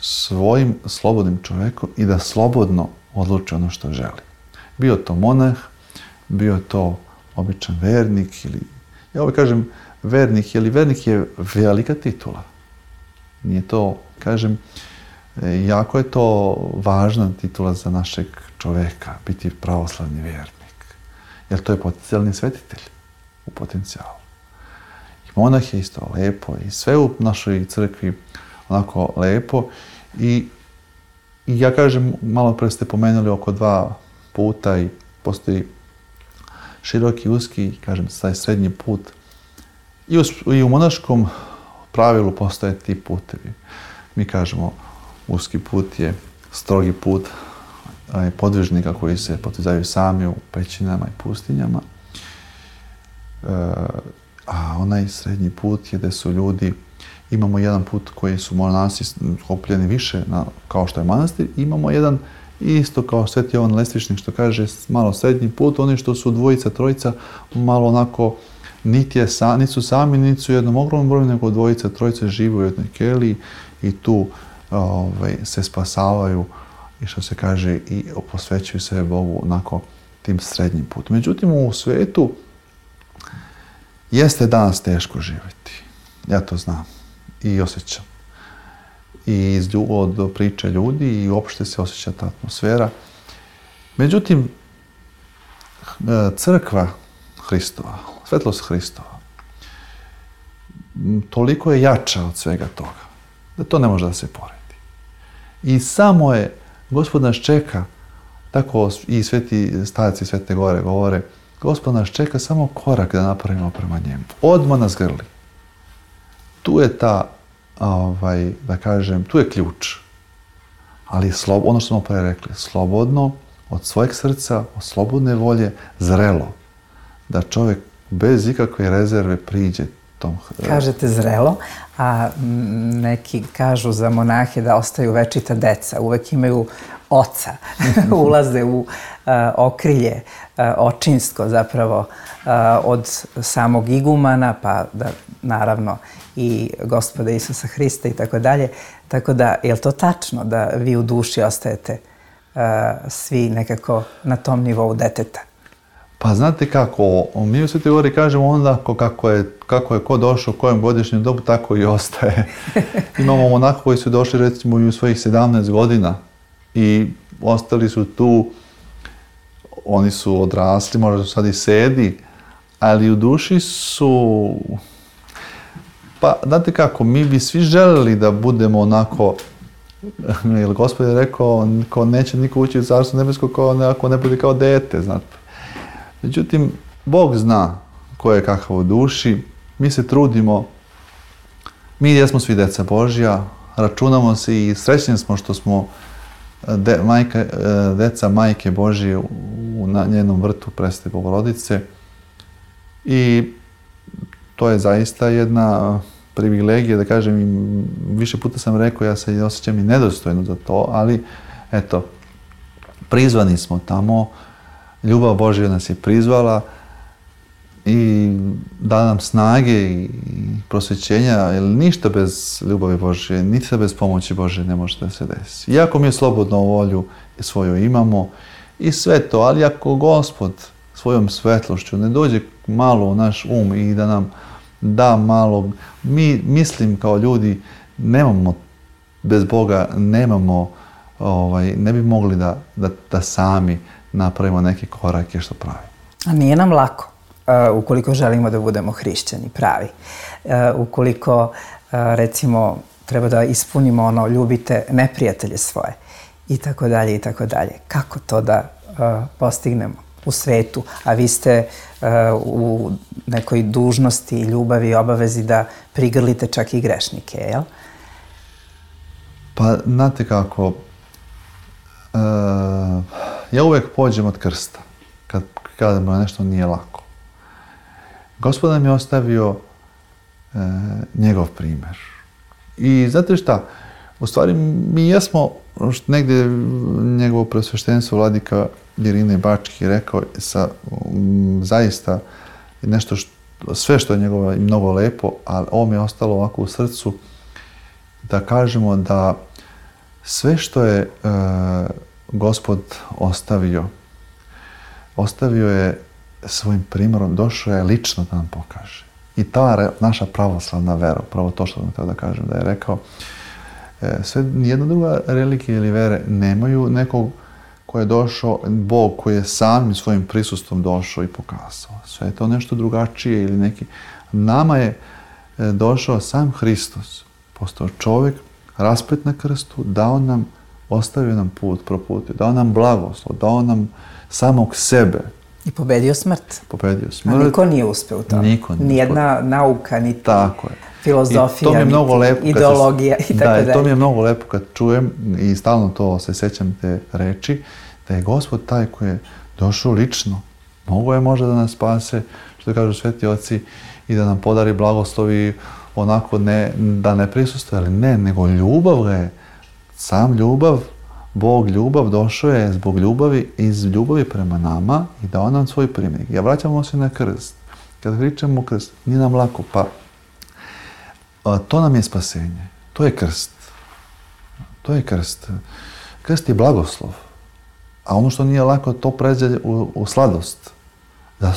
svojim slobodnim čovjekom i da slobodno odluči ono što želi. Bio to monah, bio to običan vernik ili, ja ovaj kažem vernik, jer vernik je velika titula. Nije to, kažem, jako je to važna titula za našeg čoveka, biti pravoslavni vernik. Jer to je potencijalni svetitelj u potencijalu. I monah je isto lepo i sve u našoj crkvi onako lepo. I, i ja kažem, malo pre ste pomenuli oko dva puta i postoji široki, uski, kažem, taj srednji put. I u, i u monaškom pravilu postoje ti putevi. Mi kažemo, uski put je strogi put podvižnika koji se potizaju sami u pećinama i pustinjama. E, a onaj srednji put je gde su ljudi, imamo jedan put koji su monasi okupljeni više na, kao što je manastir, imamo jedan isto kao Sveti Jovan Lestvičnik što kaže malo srednji put, oni što su dvojica, trojica, malo onako niti, je sa, niti su sami, niti su jednom ogromnom broju, nego dvojica, trojica žive u jednoj keliji i tu ovaj, se spasavaju i što se kaže i posvećuju se Bogu onako tim srednjim putom. Međutim, u svetu jeste danas teško živjeti. Ja to znam i osjećam. I iz, od priče ljudi i uopšte se osjeća ta atmosfera. Međutim, crkva Hristova, svetlost Hristova, toliko je jača od svega toga, da to ne može da se poredi. I samo je, Gospod nas čeka, tako i sveti starci Svete Gore govore, Gospod nas čeka samo korak da napravimo prema njemu. Odmah nas grli. Tu je ta, ovaj, da kažem, tu je ključ. Ali slob, ono što smo pre rekli, slobodno, od svojeg srca, od slobodne volje, zrelo. Da čovjek bez ikakve rezerve priđe tom. Kažete zrelo, a neki kažu za monahe da ostaju večita deca, uvek imaju oca, ulaze u uh, okrilje uh, očinsko zapravo uh, od samog igumana, pa da naravno i Gospoda Isusa Hrista i tako dalje. Tako da, je li to tačno da vi u duši ostajete uh, svi nekako na tom nivou deteta? Pa znate kako, mi u Svetoj Gori kažemo onda kako je, kako je ko došao u kojem godišnjem dobu, tako i ostaje. Imamo monaka koji su došli recimo i u svojih sedamnaest godina i ostali su tu, oni su odrasli, možda su sad i sedi, ali u duši su... Pa, znate kako, mi bi svi želeli da budemo onako, jer Gospod je rekao, ko neće niko ući u Carstvo nebesko ako ne bude kao dete, znate. Međutim, Bog zna ko je kakav u duši, mi se trudimo, mi jesmo svi deca Božja, računamo se i srećni smo što smo de, majka, deca majke Božje u na njenom vrtu Presvete Bogorodice i to je zaista jedna privilegija, da kažem, više puta sam rekao, ja se osjećam i nedostojno za to, ali eto, prizvani smo tamo, ljubav Božja nas je prizvala i da nam snage i prosvećenja, jer ništa bez ljubavi Božje, ništa bez pomoći Božje ne može da se desi. Iako mi slobodnu volju svoju imamo i sve to, ali ako Gospod svojom svetlošću ne dođe malo u naš um i da nam da malo, mi mislim kao ljudi nemamo, bez Boga nemamo, ovaj, ne bi mogli da, da, da sami napravimo neke korake što pravi. A nije nam lako, uh, ukoliko želimo da budemo hrišćani pravi. Uh, ukoliko, uh, recimo, treba da ispunimo ono, ljubite neprijatelje svoje i tako dalje i tako dalje. Kako to da uh, postignemo u svetu, a vi ste uh, u nekoj dužnosti, ljubavi i obavezi da prigrlite čak i grešnike, jel? Pa, znate kako, uh, ja uvijek pođem od krsta, kad, kada mu nešto nije lako. Gospod nam je ostavio uh, njegov primjer. I znate šta, u stvari mi jesmo, negdje njegovo preosveštenstvo vladika Irine Bački rekao sa um, zaista nešto što, sve što je njegovo i mnogo lepo, ali ovo mi je ostalo ovako u srcu da kažemo da sve što je e, Gospod ostavio, ostavio je svojim primjerom, došao je lično da nam pokaže. I ta re, naša pravoslavna vera, pravo to što sam htio da kažem, da je rekao, e, sve, nijedna druga religija ili vere nemaju nekog koji je došao, Bog koji je samim svojim prisustvom došao i pokazao. Sve je to nešto drugačije ili neki... Nama je došao sam Hristos, postao čovjek, raspet na krstu, dao nam, ostavio nam put, proputio, dao nam blagoslov, dao nam samog sebe. I pobedio smrt. Pobedio smrt. A niko nije uspeo u tome. Niko nije. Nijedna nauka, niti tako je. Filozofija, I to mi je mnogo lepo ideologija i tako dalje. Da, to mi je mnogo lepo kad čujem i stalno to se sjećam te reči, da je Gospod taj koji je došao lično. Mogo je možda da nas spase, što kažu sveti oci, i da nam podari blagoslovi onako ne, da ne prisustuje, ali ne, nego ljubav ga je. Sam ljubav, Bog ljubav, došao je zbog ljubavi, iz ljubavi prema nama i dao nam svoj primjer. Ja vraćamo se na krst. Kad pričamo krst, nije nam lako, pa to nam je spasenje. To je krst. To je krst. Krst je blagoslov. A ono što nije lako, to pređe u, u sladost.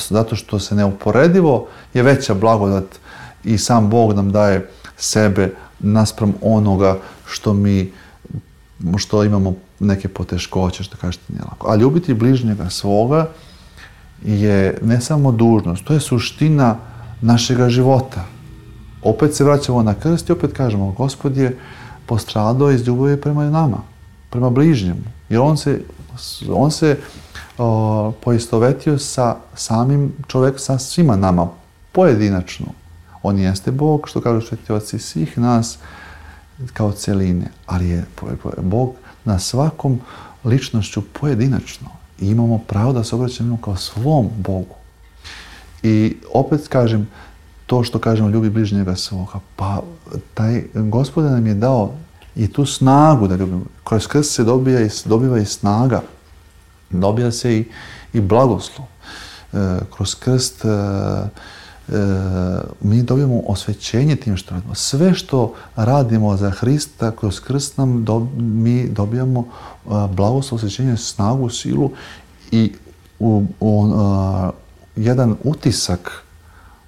Zato što se neuporedivo je veća blagodat i sam Bog nam daje sebe naspram onoga što mi, što imamo neke poteškoće, što kažete nije lako. A ljubiti bližnjega svoga je ne samo dužnost, to je suština našega života. Opet se vraćamo na krst i opet kažemo, Gospod je postradao iz ljubavi prema nama, prema bližnjemu. Jer on se, on se o, poistovetio sa samim čovjekom, sa svima nama, pojedinačno. On jeste Bog, što kažu sveti oci, svih nas kao celine, ali je Bog na svakom ličnošću pojedinačno. I imamo pravo da se obraćamo kao svom Bogu. I opet kažem, to što kažemo ljubi bližnjega svoga, pa taj Gospod nam je dao i tu snagu da ljubimo. Kroz krst se dobija i, dobiva i snaga, dobija se i, i blagoslov. E, kroz krst e, e, mi dobijamo osvećenje tim što radimo. Sve što radimo za Hrista, kroz krst nam do, mi dobijamo a, blagoslov, osvećenje, snagu, silu i u, u, a, jedan utisak,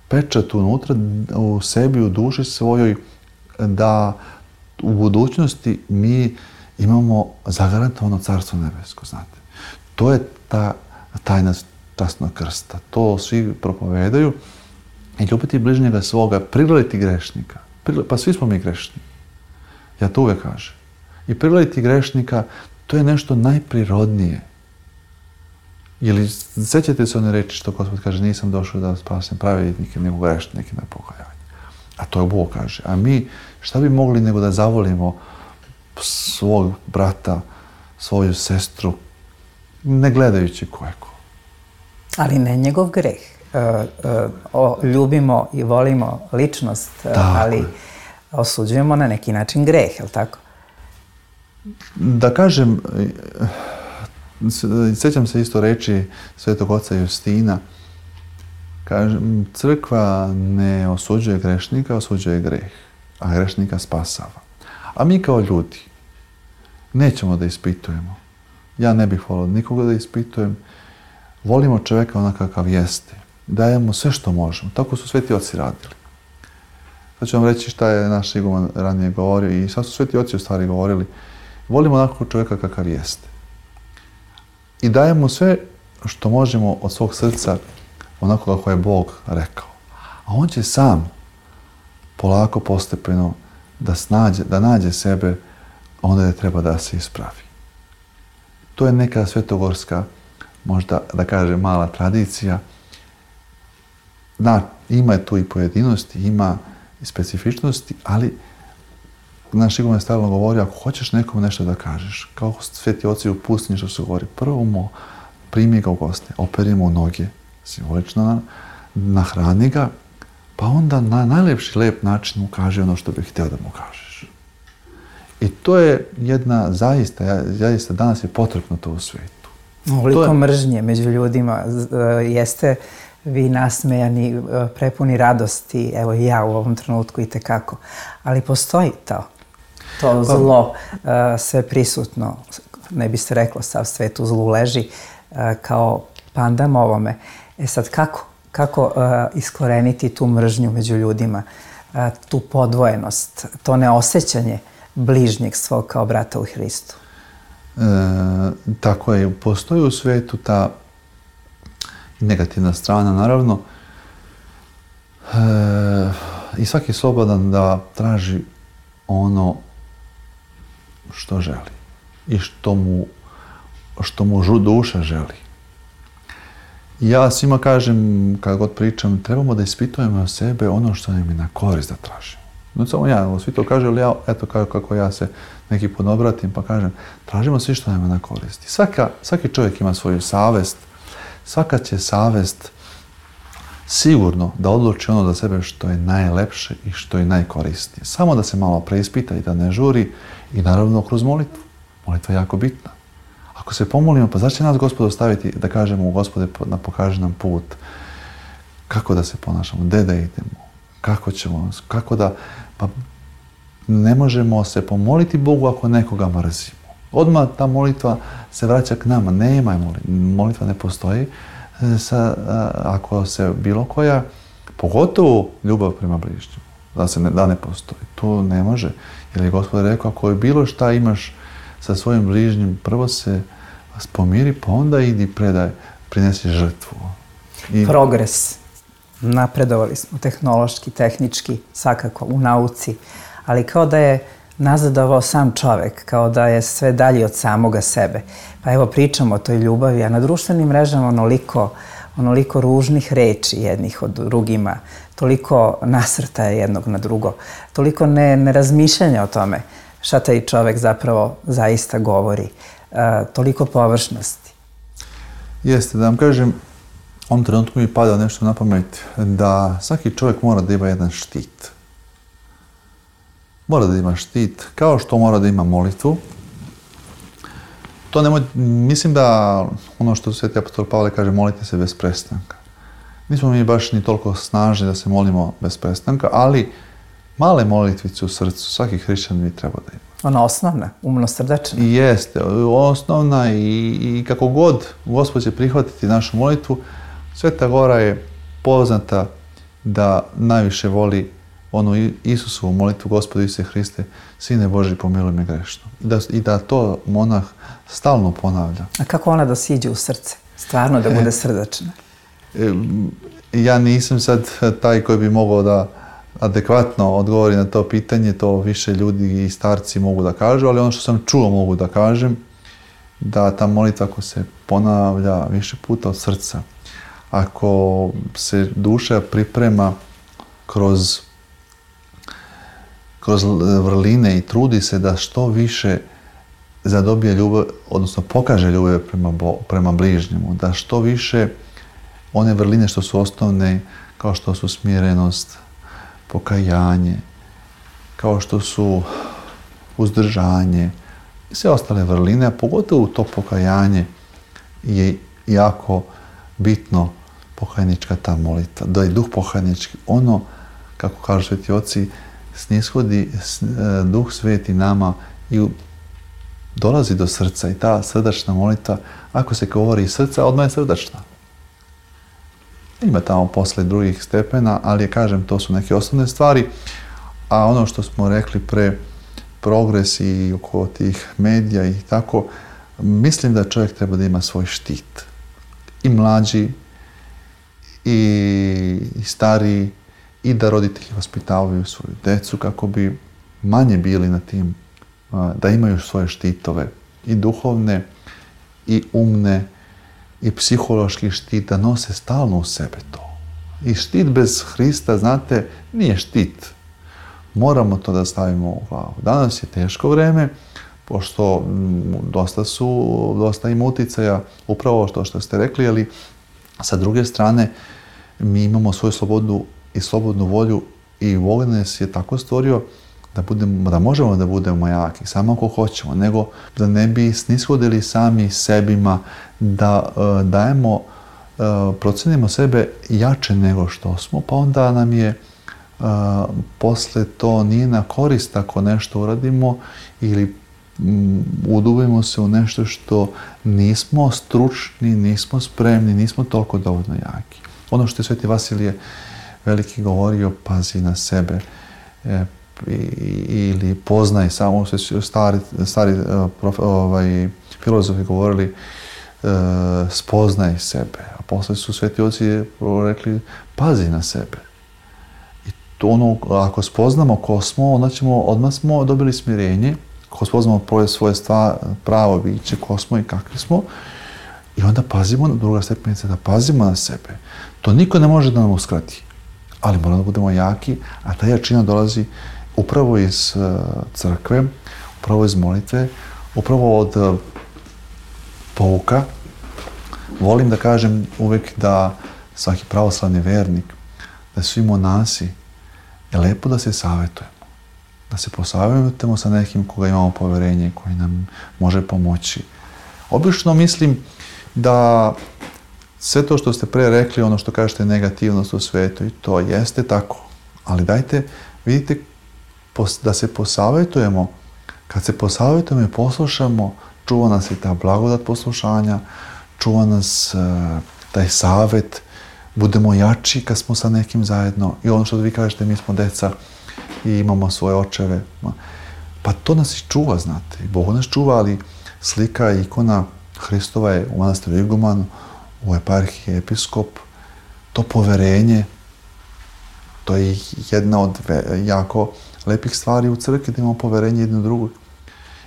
pečat unutra u sebi, u duši svojoj, da u budućnosti mi imamo zagarantovano Carstvo nebesko, znate. To je ta tajna časnog krsta. To svi propovedaju. I ljubiti bližnjega svoga, prilaziti grešnika. Pa svi smo mi grešni. Ja to uvijek kažem. I prilaziti grešnika, to je nešto najprirodnije. Ili sjećate se one reči što Gospod kaže, nisam došao da spasim pravednike, nego grešnike na pokajanje. A to je Bog kaže. A mi šta bi mogli nego da zavolimo svog brata, svoju sestru, ne gledajući ko je ko. Ali ne njegov greh. E, e, o, ljubimo i volimo ličnost, tako ali je. Osuđujemo na neki način greh, je li tako? Da kažem, sjećam se isto reči Svetog oca Justina, kažem, crkva ne osuđuje grešnika, osuđuje greh, a grešnika spasava. A mi kao ljudi nećemo da ispitujemo. Ja ne bih volio nikoga da ispitujem. Volimo čovjeka onakav kakav jeste. Dajemo sve što možemo. Tako su sveti oci radili. Sad ću vam reći šta je naš iguman ranije govorio i sad su sveti oci u stvari govorili. Volimo onakvog čovjeka kakav jeste. I dajemo sve što možemo od svog srca onako kako je Bog rekao. A on će sam polako, postepeno da, snađe, da nađe sebe onda je treba da se ispravi. To je neka svetogorska, možda da kažem, mala tradicija. Da, ima tu i pojedinosti, ima i specifičnosti, ali naš iguman je stalno govorio, ako hoćeš nekom nešto da kažeš, kao sveti oci u pustinji što se govori, prvo mu primi ga u goste, operi mu noge, simbolično nahrani ga, pa onda na najlepši, lep način mu kaže ono što bih htio da mu kažeš. I to je jedna, zaista, zaista danas je potrebno to u svijetu. Ovoliko je mržnje među ljudima, jeste vi nasmejani, prepuni radosti, evo i ja u ovom trenutku i tekako, ali postoji to, to zlo sve prisutno, ne bi se reklo sav svet u zlu leži, kao pandam ovome. E sad kako, kako iskoreniti tu mržnju među ljudima, tu podvojenost, to neosjećanje bližnjeg svog kao brata u Hristu? E, tako je, postoji u svijetu ta negativna strana, naravno, e, i svaki je slobodan da traži ono što želi i što mu, što mu duša želi. Ja svima kažem, kad god pričam, trebamo da ispitujemo o sebe ono što nam je na korist da tražimo. No samo ja, svi to kažu, ali ja, eto kako ja se neki put obratim, pa kažem, tražimo svi što nam je na koristi. Svaka, svaki čovjek ima svoju savest, svaka će savest sigurno da odluči ono za sebe što je najlepše i što je najkorisnije. Samo da se malo preispita i da ne žuri i naravno kroz molitvu. Molitva je jako bitna. Ako se pomolimo, pa zašto će nas Gospod ostaviti da kažemo, Gospode, pokaži nam put, kako da se ponašamo, gde da idemo, kako ćemo, kako da, pa ne možemo se pomoliti Bogu ako nekoga mrzimo. Odmah ta molitva se vraća k nama, nema molitva, molitva ne postoji sa, ako se bilo koja, pogotovo ljubav prema bližnjemu, da, se ne, da ne postoji. To ne može, jer je Gospod rekao, ako je bilo šta imaš sa svojim bližnjim, prvo se pomiri, pa onda idi predaj, prinesi žrtvu. I... Progres. Napredovali smo tehnološki, tehnički, svakako u nauci, ali kao da je nazadovao sam čovek, kao da je sve dalje od samoga sebe. Pa evo pričamo o toj ljubavi, a na društvenim mrežama onoliko, onoliko ružnih reči jednih od drugima, toliko nasrtaja jednog na drugo, toliko ne, nerazmišljanja o tome šta taj čovek zapravo zaista govori, e, toliko površnosti. Jeste, da vam kažem, u ovom trenutku mi pada nešto na pamet, da svaki čovjek mora da ima jedan štit. Mora da ima štit, kao što mora da ima molitvu. To nemoj, mislim da ono što Sveti apostol Pavle kaže, molite se bez prestanka. Nismo mi baš ni toliko snažni da se molimo bez prestanka, ali male molitvice u srcu svaki hrišćan bi trebao da ima. Ona osnovna, umno-srdečna. I jeste, osnovna i, i kako god Gospod će prihvatiti našu molitvu, Sveta Gora je poznata da najviše voli onu Isusovu molitvu, Gospodu Isuse Hriste, Sine Božji, pomiluj me grešno. I da, i da to monah stalno ponavlja. A kako ona da siđe u srce? Stvarno da bude srdačna? E, ja nisam sad taj koji bi mogao da adekvatno odgovori na to pitanje, to više ljudi i starci mogu da kažu, ali ono što sam čuo mogu da kažem, da ta molitva ako se ponavlja više puta od srca, ako se duša priprema kroz, kroz vrline i trudi se da što više zadobije ljubav, odnosno pokaže ljubav prema, prema bližnjemu, da što više one vrline što su osnovne, kao što su smirenost, pokajanje, kao što su uzdržanje i sve ostale vrline, a pogotovo to pokajanje je jako bitno, pokajnička ta molitva, da je duh pokajnički, ono, kako kažu sveti oci, snishodi duh sveti nama i dolazi do srca i ta srdačna molitva, ako se govori iz srca, odmah je srdačna. Ima tamo posle drugih stepena, ali kažem, to su neke osnovne stvari, a ono što smo rekli pre, progres i oko tih medija i tako, mislim da čovjek treba da ima svoj štit. I mlađi, i, i stariji, i da roditelji vaspitavaju svoju decu kako bi manje bili na tim, da imaju svoje štitove, i duhovne, i umne, i psihološki štit, da nose stalno u sebe to. I štit bez Hrista, znate, nije štit. Moramo to da stavimo u glavu. Danas je teško vreme, pošto dosta su, dosta ima uticaja, upravo što, što ste rekli, ali sa druge strane mi imamo svoju slobodu i slobodnu volju i Bog nas je tako stvorio da, budemo, da možemo da budemo jaki, samo ako hoćemo, nego da ne bi snishodili sami sebima, da uh, dajemo, uh, procenimo sebe jače nego što smo, pa onda nam je uh, posle to nije na korist ako nešto uradimo ili um, udubimo se u nešto što nismo stručni, nismo spremni, nismo toliko dovoljno jaki. Ono što je Sveti Vasilije Veliki govorio, pazi na sebe, e, ili poznaj, samo se stari, stari prof, ovaj, filozofi govorili, e, spoznaj sebe, a posle su sveti oci rekli, pazi na sebe. I to ono, ako spoznamo ko smo, onda ćemo, odmah smo dobili smirenje, ako spoznamo svoje stvar, pravo biće, ko smo i kakvi smo, i onda pazimo, druga stepenica, da pazimo na sebe. To niko ne može da nam uskrati, ali moramo da budemo jaki, a ta jačina dolazi upravo iz uh, crkve, upravo iz molitve, upravo od uh, pouka. Volim da kažem uvek da svaki pravoslavni vernik, da svi monasi, je lepo da se savjetujemo. Da se posavjetujemo sa nekim koga imamo poverenje, koji nam može pomoći. Obično mislim da sve to što ste pre rekli, ono što kažete negativnost u svetu, i to jeste tako. Ali dajte, vidite, da se posavjetujemo. Kad se posavjetujemo i poslušamo, čuva nas i ta blagodat poslušanja, čuva nas uh, taj savjet, budemo jači kad smo sa nekim zajedno. I ono što vi kažete, mi smo deca i imamo svoje očeve. Pa to nas i čuva, znate. Bog nas čuva, ali slika i ikona Hristova je u manastiru Iguman, u eparhiji episkop. To poverenje, to je jedna od jako lepih stvari u crkvi, da imamo poverenje jedno drugog.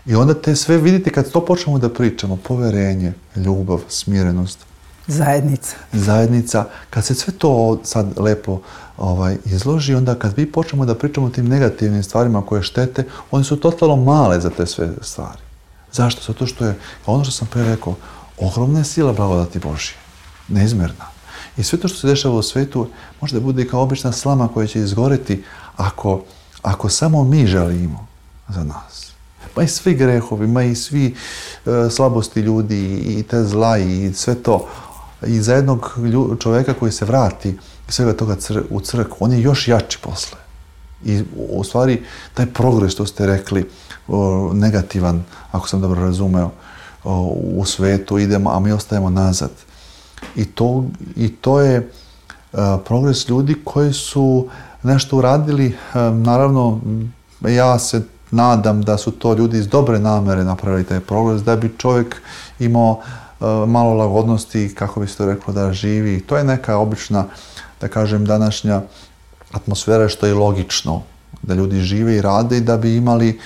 I onda te sve vidite kad to počnemo da pričamo, poverenje, ljubav, smirenost. Zajednica. Zajednica. Kad se sve to sad lepo ovaj, izloži, onda kad vi počnemo da pričamo o tim negativnim stvarima koje štete, one su totalno male za te sve stvari. Zašto? Zato što je, ono što sam pre rekao, ogromna je sila blagodati Božje. Neizmerna. I sve to što se dešava u svetu može da bude i kao obična slama koja će izgoreti ako, ako samo mi želimo za nas. Ma i svi grehovi, ma i svi e, slabosti ljudi i te zla i sve to. I za jednog lju, čoveka koji se vrati i svega toga cr, u crkvu, on je još jači posle. I u stvari taj progres što ste rekli, o, negativan, ako sam dobro razumeo, o, u svetu idemo, a mi ostajemo nazad. I to, i to je a, progres ljudi koji su nešto uradili. A, naravno, ja se nadam da su to ljudi iz dobre namere napravili taj progres, da bi čovjek imao a, malo lagodnosti, kako bi se to reklo, da živi. To je neka obična, da kažem, današnja atmosfera, što je logično, da ljudi žive i rade i da bi imali,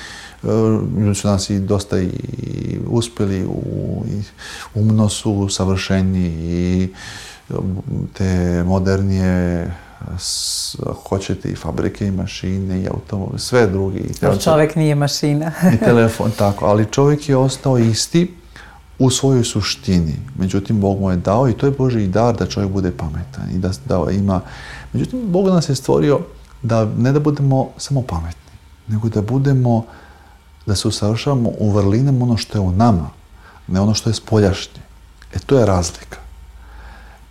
ljudi su nas i dosta i uspjeli, u, i umno su savršeni i te modernije, hoćete i fabrike i mašine i automobile, sve drugi. Ali čovjek nije mašina. I telefon, tako, ali čovjek je ostao isti u svojoj suštini. Međutim, Bog mu je dao i to je Božji dar da čovjek bude pametan i da, da ima. Međutim, Bog nas je stvorio da ne da budemo samo pametni, nego da budemo, da se usavršavamo u vrlinama ono što je u nama, ne ono što je spoljašnje. E, to je razlika.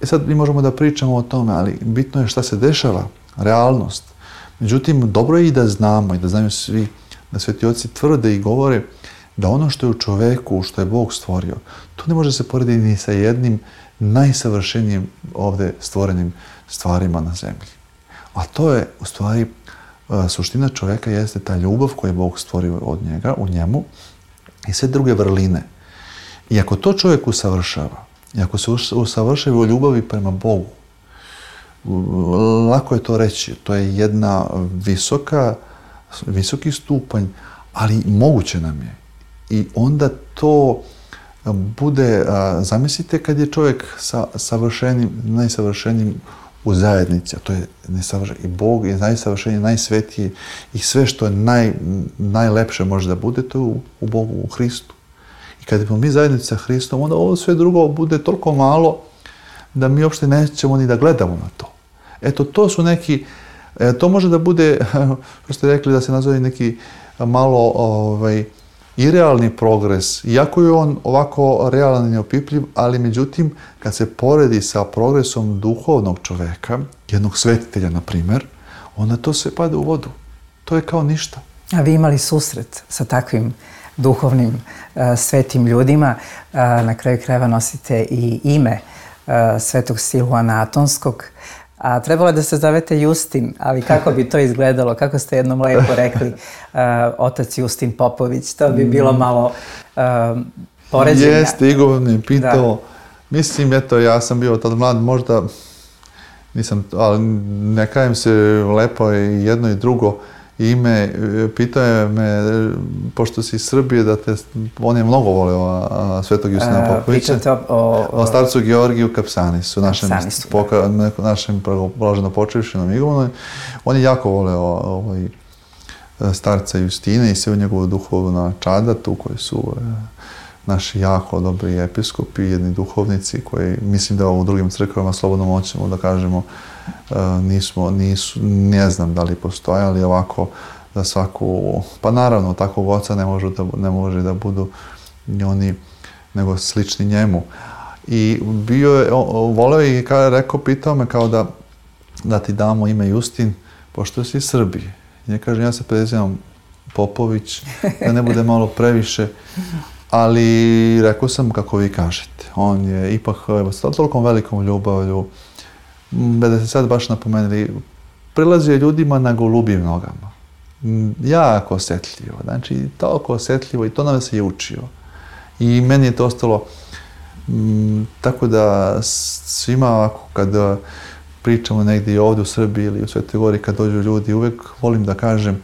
E sad mi možemo da pričamo o tome, ali bitno je šta se dešava, realnost. Međutim, dobro je i da znamo i da znaju svi, da sveti oci tvrde i govore da ono što je u čoveku, što je Bog stvorio, to ne može se porediti ni sa jednim najsavršenijim ovdje stvorenim stvarima na zemlji. A to je, u stvari, suština čoveka jeste ta ljubav koju je Bog stvorio od njega, u njemu, i sve druge vrline. I ako to čovjek usavršava, i ako se usavršava u ljubavi prema Bogu, lako je to reći, to je jedna visoka, visoki stupanj, ali moguće nam je. I onda to bude, zamislite kad je čovjek sa savršenim, najsavršenijim u zajednici, a to je i Bog je najsavršeniji, najsvetiji i sve što je naj, najlepše može da bude, to je u, u Bogu, u Hristu. I kad smo mi zajednici sa Hristom, onda ovo sve drugo bude toliko malo da mi uopšte nećemo ni da gledamo na to. Eto, to su neki, to može da bude, što ste rekli, da se nazove neki malo ovaj, irealni progres, iako je on ovako realan i neopipljiv, ali međutim, kad se poredi sa progresom duhovnog čoveka, jednog svetitelja, na primjer, onda to sve pada u vodu. To je kao ništa. A vi imali susret sa takvim duhovnim, uh, svetim ljudima. Uh, na kraju krajeva nosite i ime uh, svetog Silvana Atonskog. A trebalo je da se zovete Justin, ali kako bi to izgledalo? Kako ste jednom lepo rekli, uh, otac Justin Popović, to bi bilo malo uh, poređenja. Jeste, Igor me pitao. Da. Mislim, eto, ja sam bio tad mlad, možda nisam, ali ne kajem se, lepo je i jedno i drugo ime. Pitao je me, pošto si iz Srbije, da te, on je mnogo voleo a, svetog Justina Popovića. Pričate o, o, o starcu Georgiju Kapsanisu, našem, poka, našem blaženo počevšenom Igumanu. On je jako voleo ovaj, starca Justina i sve u njegovu duhovnu čadatu, koji su e, naši jako dobri episkopi, jedni duhovnici, koji mislim da u drugim crkvama slobodno moćemo da kažemo nismo, nisu, ne znam da li postoje, ali ovako za svaku, pa naravno takvog oca ne može da, ne može da budu oni nego slični njemu. I bio je, voleo i kada je rekao, pitao me kao da, da ti damo ime Justin, pošto si iz Srbije. I ja kažem, ja se prezivam Popović, da ne bude malo previše, ali rekao sam kako vi kažete. On je ipak s tolikom velikom ljubavlju, da se sad baš napomenuli, prilazio je ljudima na golubim nogama. Jako osjetljivo, znači toliko osjetljivo i to nam se je učio. I meni je to ostalo, m, tako da svima ovako kad pričamo negdje ovdje u Srbiji ili u Svetoj Gori, kad dođu ljudi, uvijek volim da kažem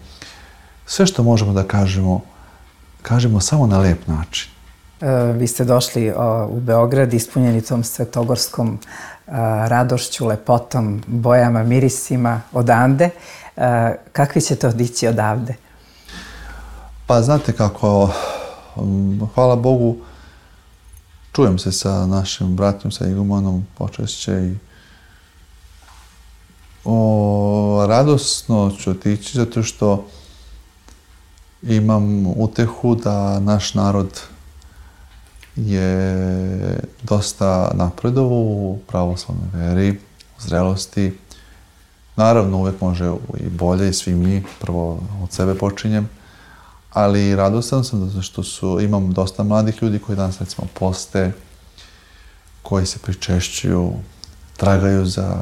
sve što možemo da kažemo, kažemo samo na lep način. E, vi ste došli o, u Beograd ispunjeni tom svetogorskom a, radošću, lepotom, bojama, mirisima odande. A, kakvi ćete odići odavde? Pa znate kako, um, hvala Bogu, čujem se sa našim bratom, sa Igumanom počešće i o, radosno ću otići zato što imam utehu da naš narod je dosta napredovao u pravoslavnoj veri, u zrelosti. Naravno, uvek može i bolje i svi mi, prvo od sebe počinjem, ali radostan sam zato što su, imam dosta mladih ljudi koji danas recimo poste, koji se pričešćuju, tragaju za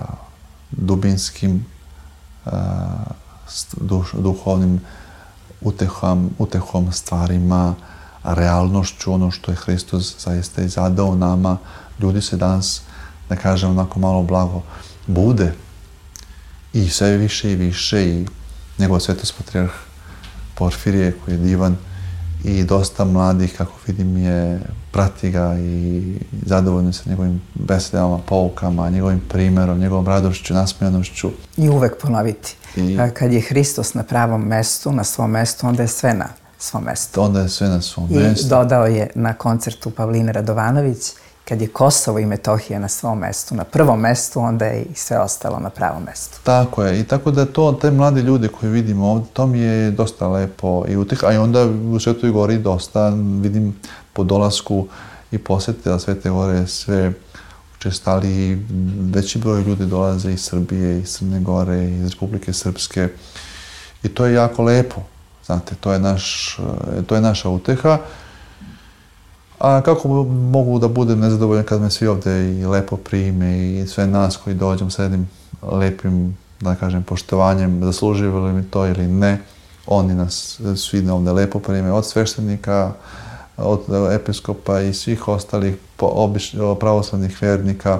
dubinskim uh, duš, duhovnim utehom, utehom stvarima, realnošću, ono što je Hristos zaista i zadao nama. Ljudi se danas, da kažem onako malo blago, bude i sve više i više i njegov svetost patrijarh Porfirije koji je divan i dosta mladih, kako vidim, je prati ga i zadovoljni sa njegovim besedama, poukama, njegovim primerom, njegovom radošću, nasmijanošću. I uvek ponoviti. I kad je Hristos na pravom mestu, na svom mestu, onda je sve na svom mestu. Onda je sve na svom I mestu. I dodao je na koncertu Pavline Radovanović, kad je Kosovo i Metohija na svom mestu, na prvom mestu, onda je i sve ostalo na pravom mestu. Tako je. I tako da to, te mladi ljudi koje vidimo ovdje, to mi je dosta lepo i utih. A i onda u Svetoj Gori dosta vidim po dolasku i posjetila Svete Gore sve učestali, veći broj ljudi dolaze iz Srbije, iz Crne Gore, iz Republike Srpske. I to je jako lepo. Znate, to je, naš, to je naša uteha. A kako mogu da budem nezadovoljan kad me svi ovde i lepo prime i sve nas koji dođem sa jednim lepim, da kažem, poštovanjem, zasluživali li mi to ili ne, oni nas svi ovde lepo prime, od sveštenika, od episkopa i svih ostalih pravoslavnih vernika.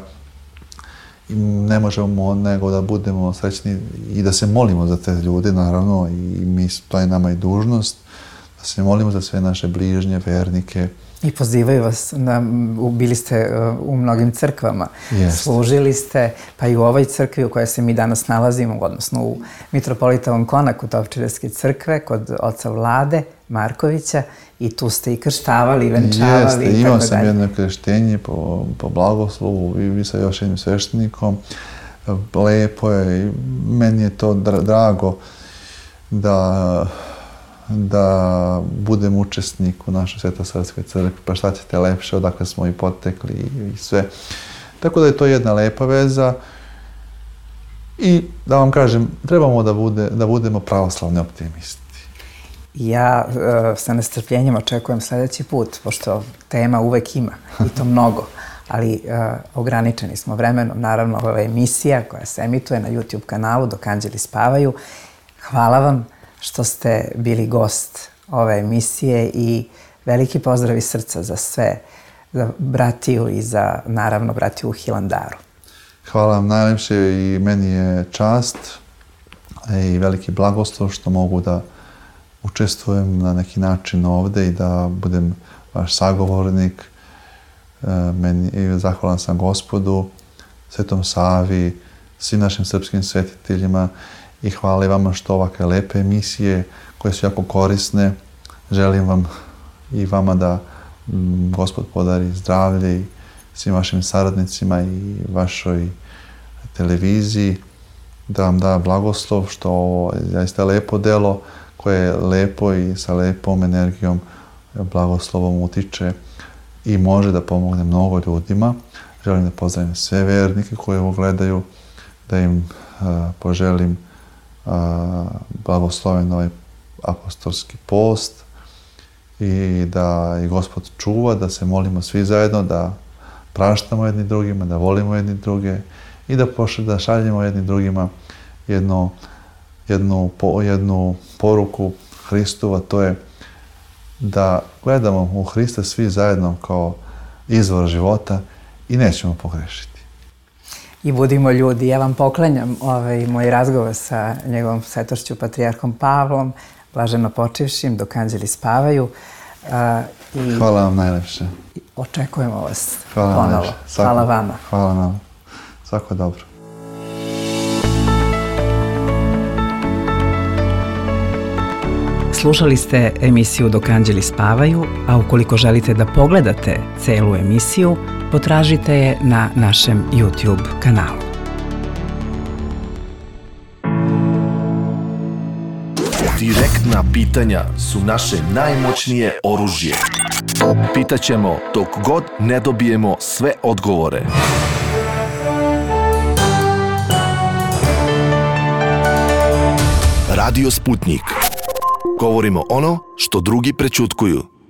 I ne možemo nego da budemo srećni i da se molimo za te ljude, naravno, i mi, to je nama i dužnost, da se molimo za sve naše bližnje, vernike. I pozivaju vas, na, bili ste u mnogim crkvama, Jest. Služili ste, pa i u ovoj crkvi u kojoj se mi danas nalazimo, odnosno u Mitropolitovom konaku Topčiderske crkve, kod oca Vlade Markovića, i tu ste i krštavali, i venčavali. Jeste, i imao tako sam dalje. jedno krštenje po, po blagoslovu i vi sa još jednim sveštenikom. Lepo je i meni je to dra, drago da da budem učesnik u našoj Svetosavskoj crkvi, pa šta ćete lepše, odakle smo i potekli i sve. Tako da je to jedna lepa veza i da vam kažem, trebamo da, bude, da budemo pravoslavni optimisti. Ja uh, sa nestrpljenjem očekujem sljedeći put, pošto tema uvek ima i to mnogo, ali uh, ograničeni smo vremenom. Naravno, ova je emisija koja se emituje na YouTube kanalu Dok anđeli spavaju. Hvala vam što ste bili gost ove emisije i veliki pozdrav iz srca za sve, za bratiju i za, naravno, bratiju u Hilandaru. Hvala vam najlepše i meni je čast i veliki blagoslov što mogu da učestvujem na neki način ovde i da budem vaš sagovornik. Meni, i zahvalan sam Gospodu, Svetom Savi, svim našim srpskim svetiteljima i hvala i vama što ovakve lepe emisije koje su jako korisne. Želim vam i vama da m, Gospod podari zdravlje i svim vašim saradnicima i vašoj televiziji, da vam da blagoslov što ovo je zaista lepo delo koje je lepo i sa lepom energijom blagoslovom utiče i može da pomogne mnogo ljudima. Želim da pozdravim sve vernike koji ovo gledaju, da im uh, poželim uh, blagosloven ovaj apostolski post i da i Gospod čuva, da se molimo svi zajedno, da praštamo jedni drugima, da volimo jedni druge i da, pošle, da šaljemo jedni drugima jedno, jednu, po, jednu poruku Hristova, to je da gledamo u Hrista svi zajedno kao izvor života i nećemo pogrešiti. I budimo ljudi. Ja vam poklanjam ovaj moj razgovor sa njegovom svetošću patrijarhom Pavlom, blaženo počivšim, dok anđeli spavaju. Uh, i Hvala vam najlepše. Očekujemo vas Hvala ponovo. Svako, Hvala vama. Hvala nam. Svako dobro. Slušali ste emisiju Dok anđeli spavaju, a ukoliko želite da pogledate celu emisiju, potražite je na našem YouTube kanalu. Direktna pitanja su naše najmoćnije oružje. Pitaćemo dok god ne dobijemo sve odgovore. Radio Sputnik. Govorimo ono što drugi prećutkuju.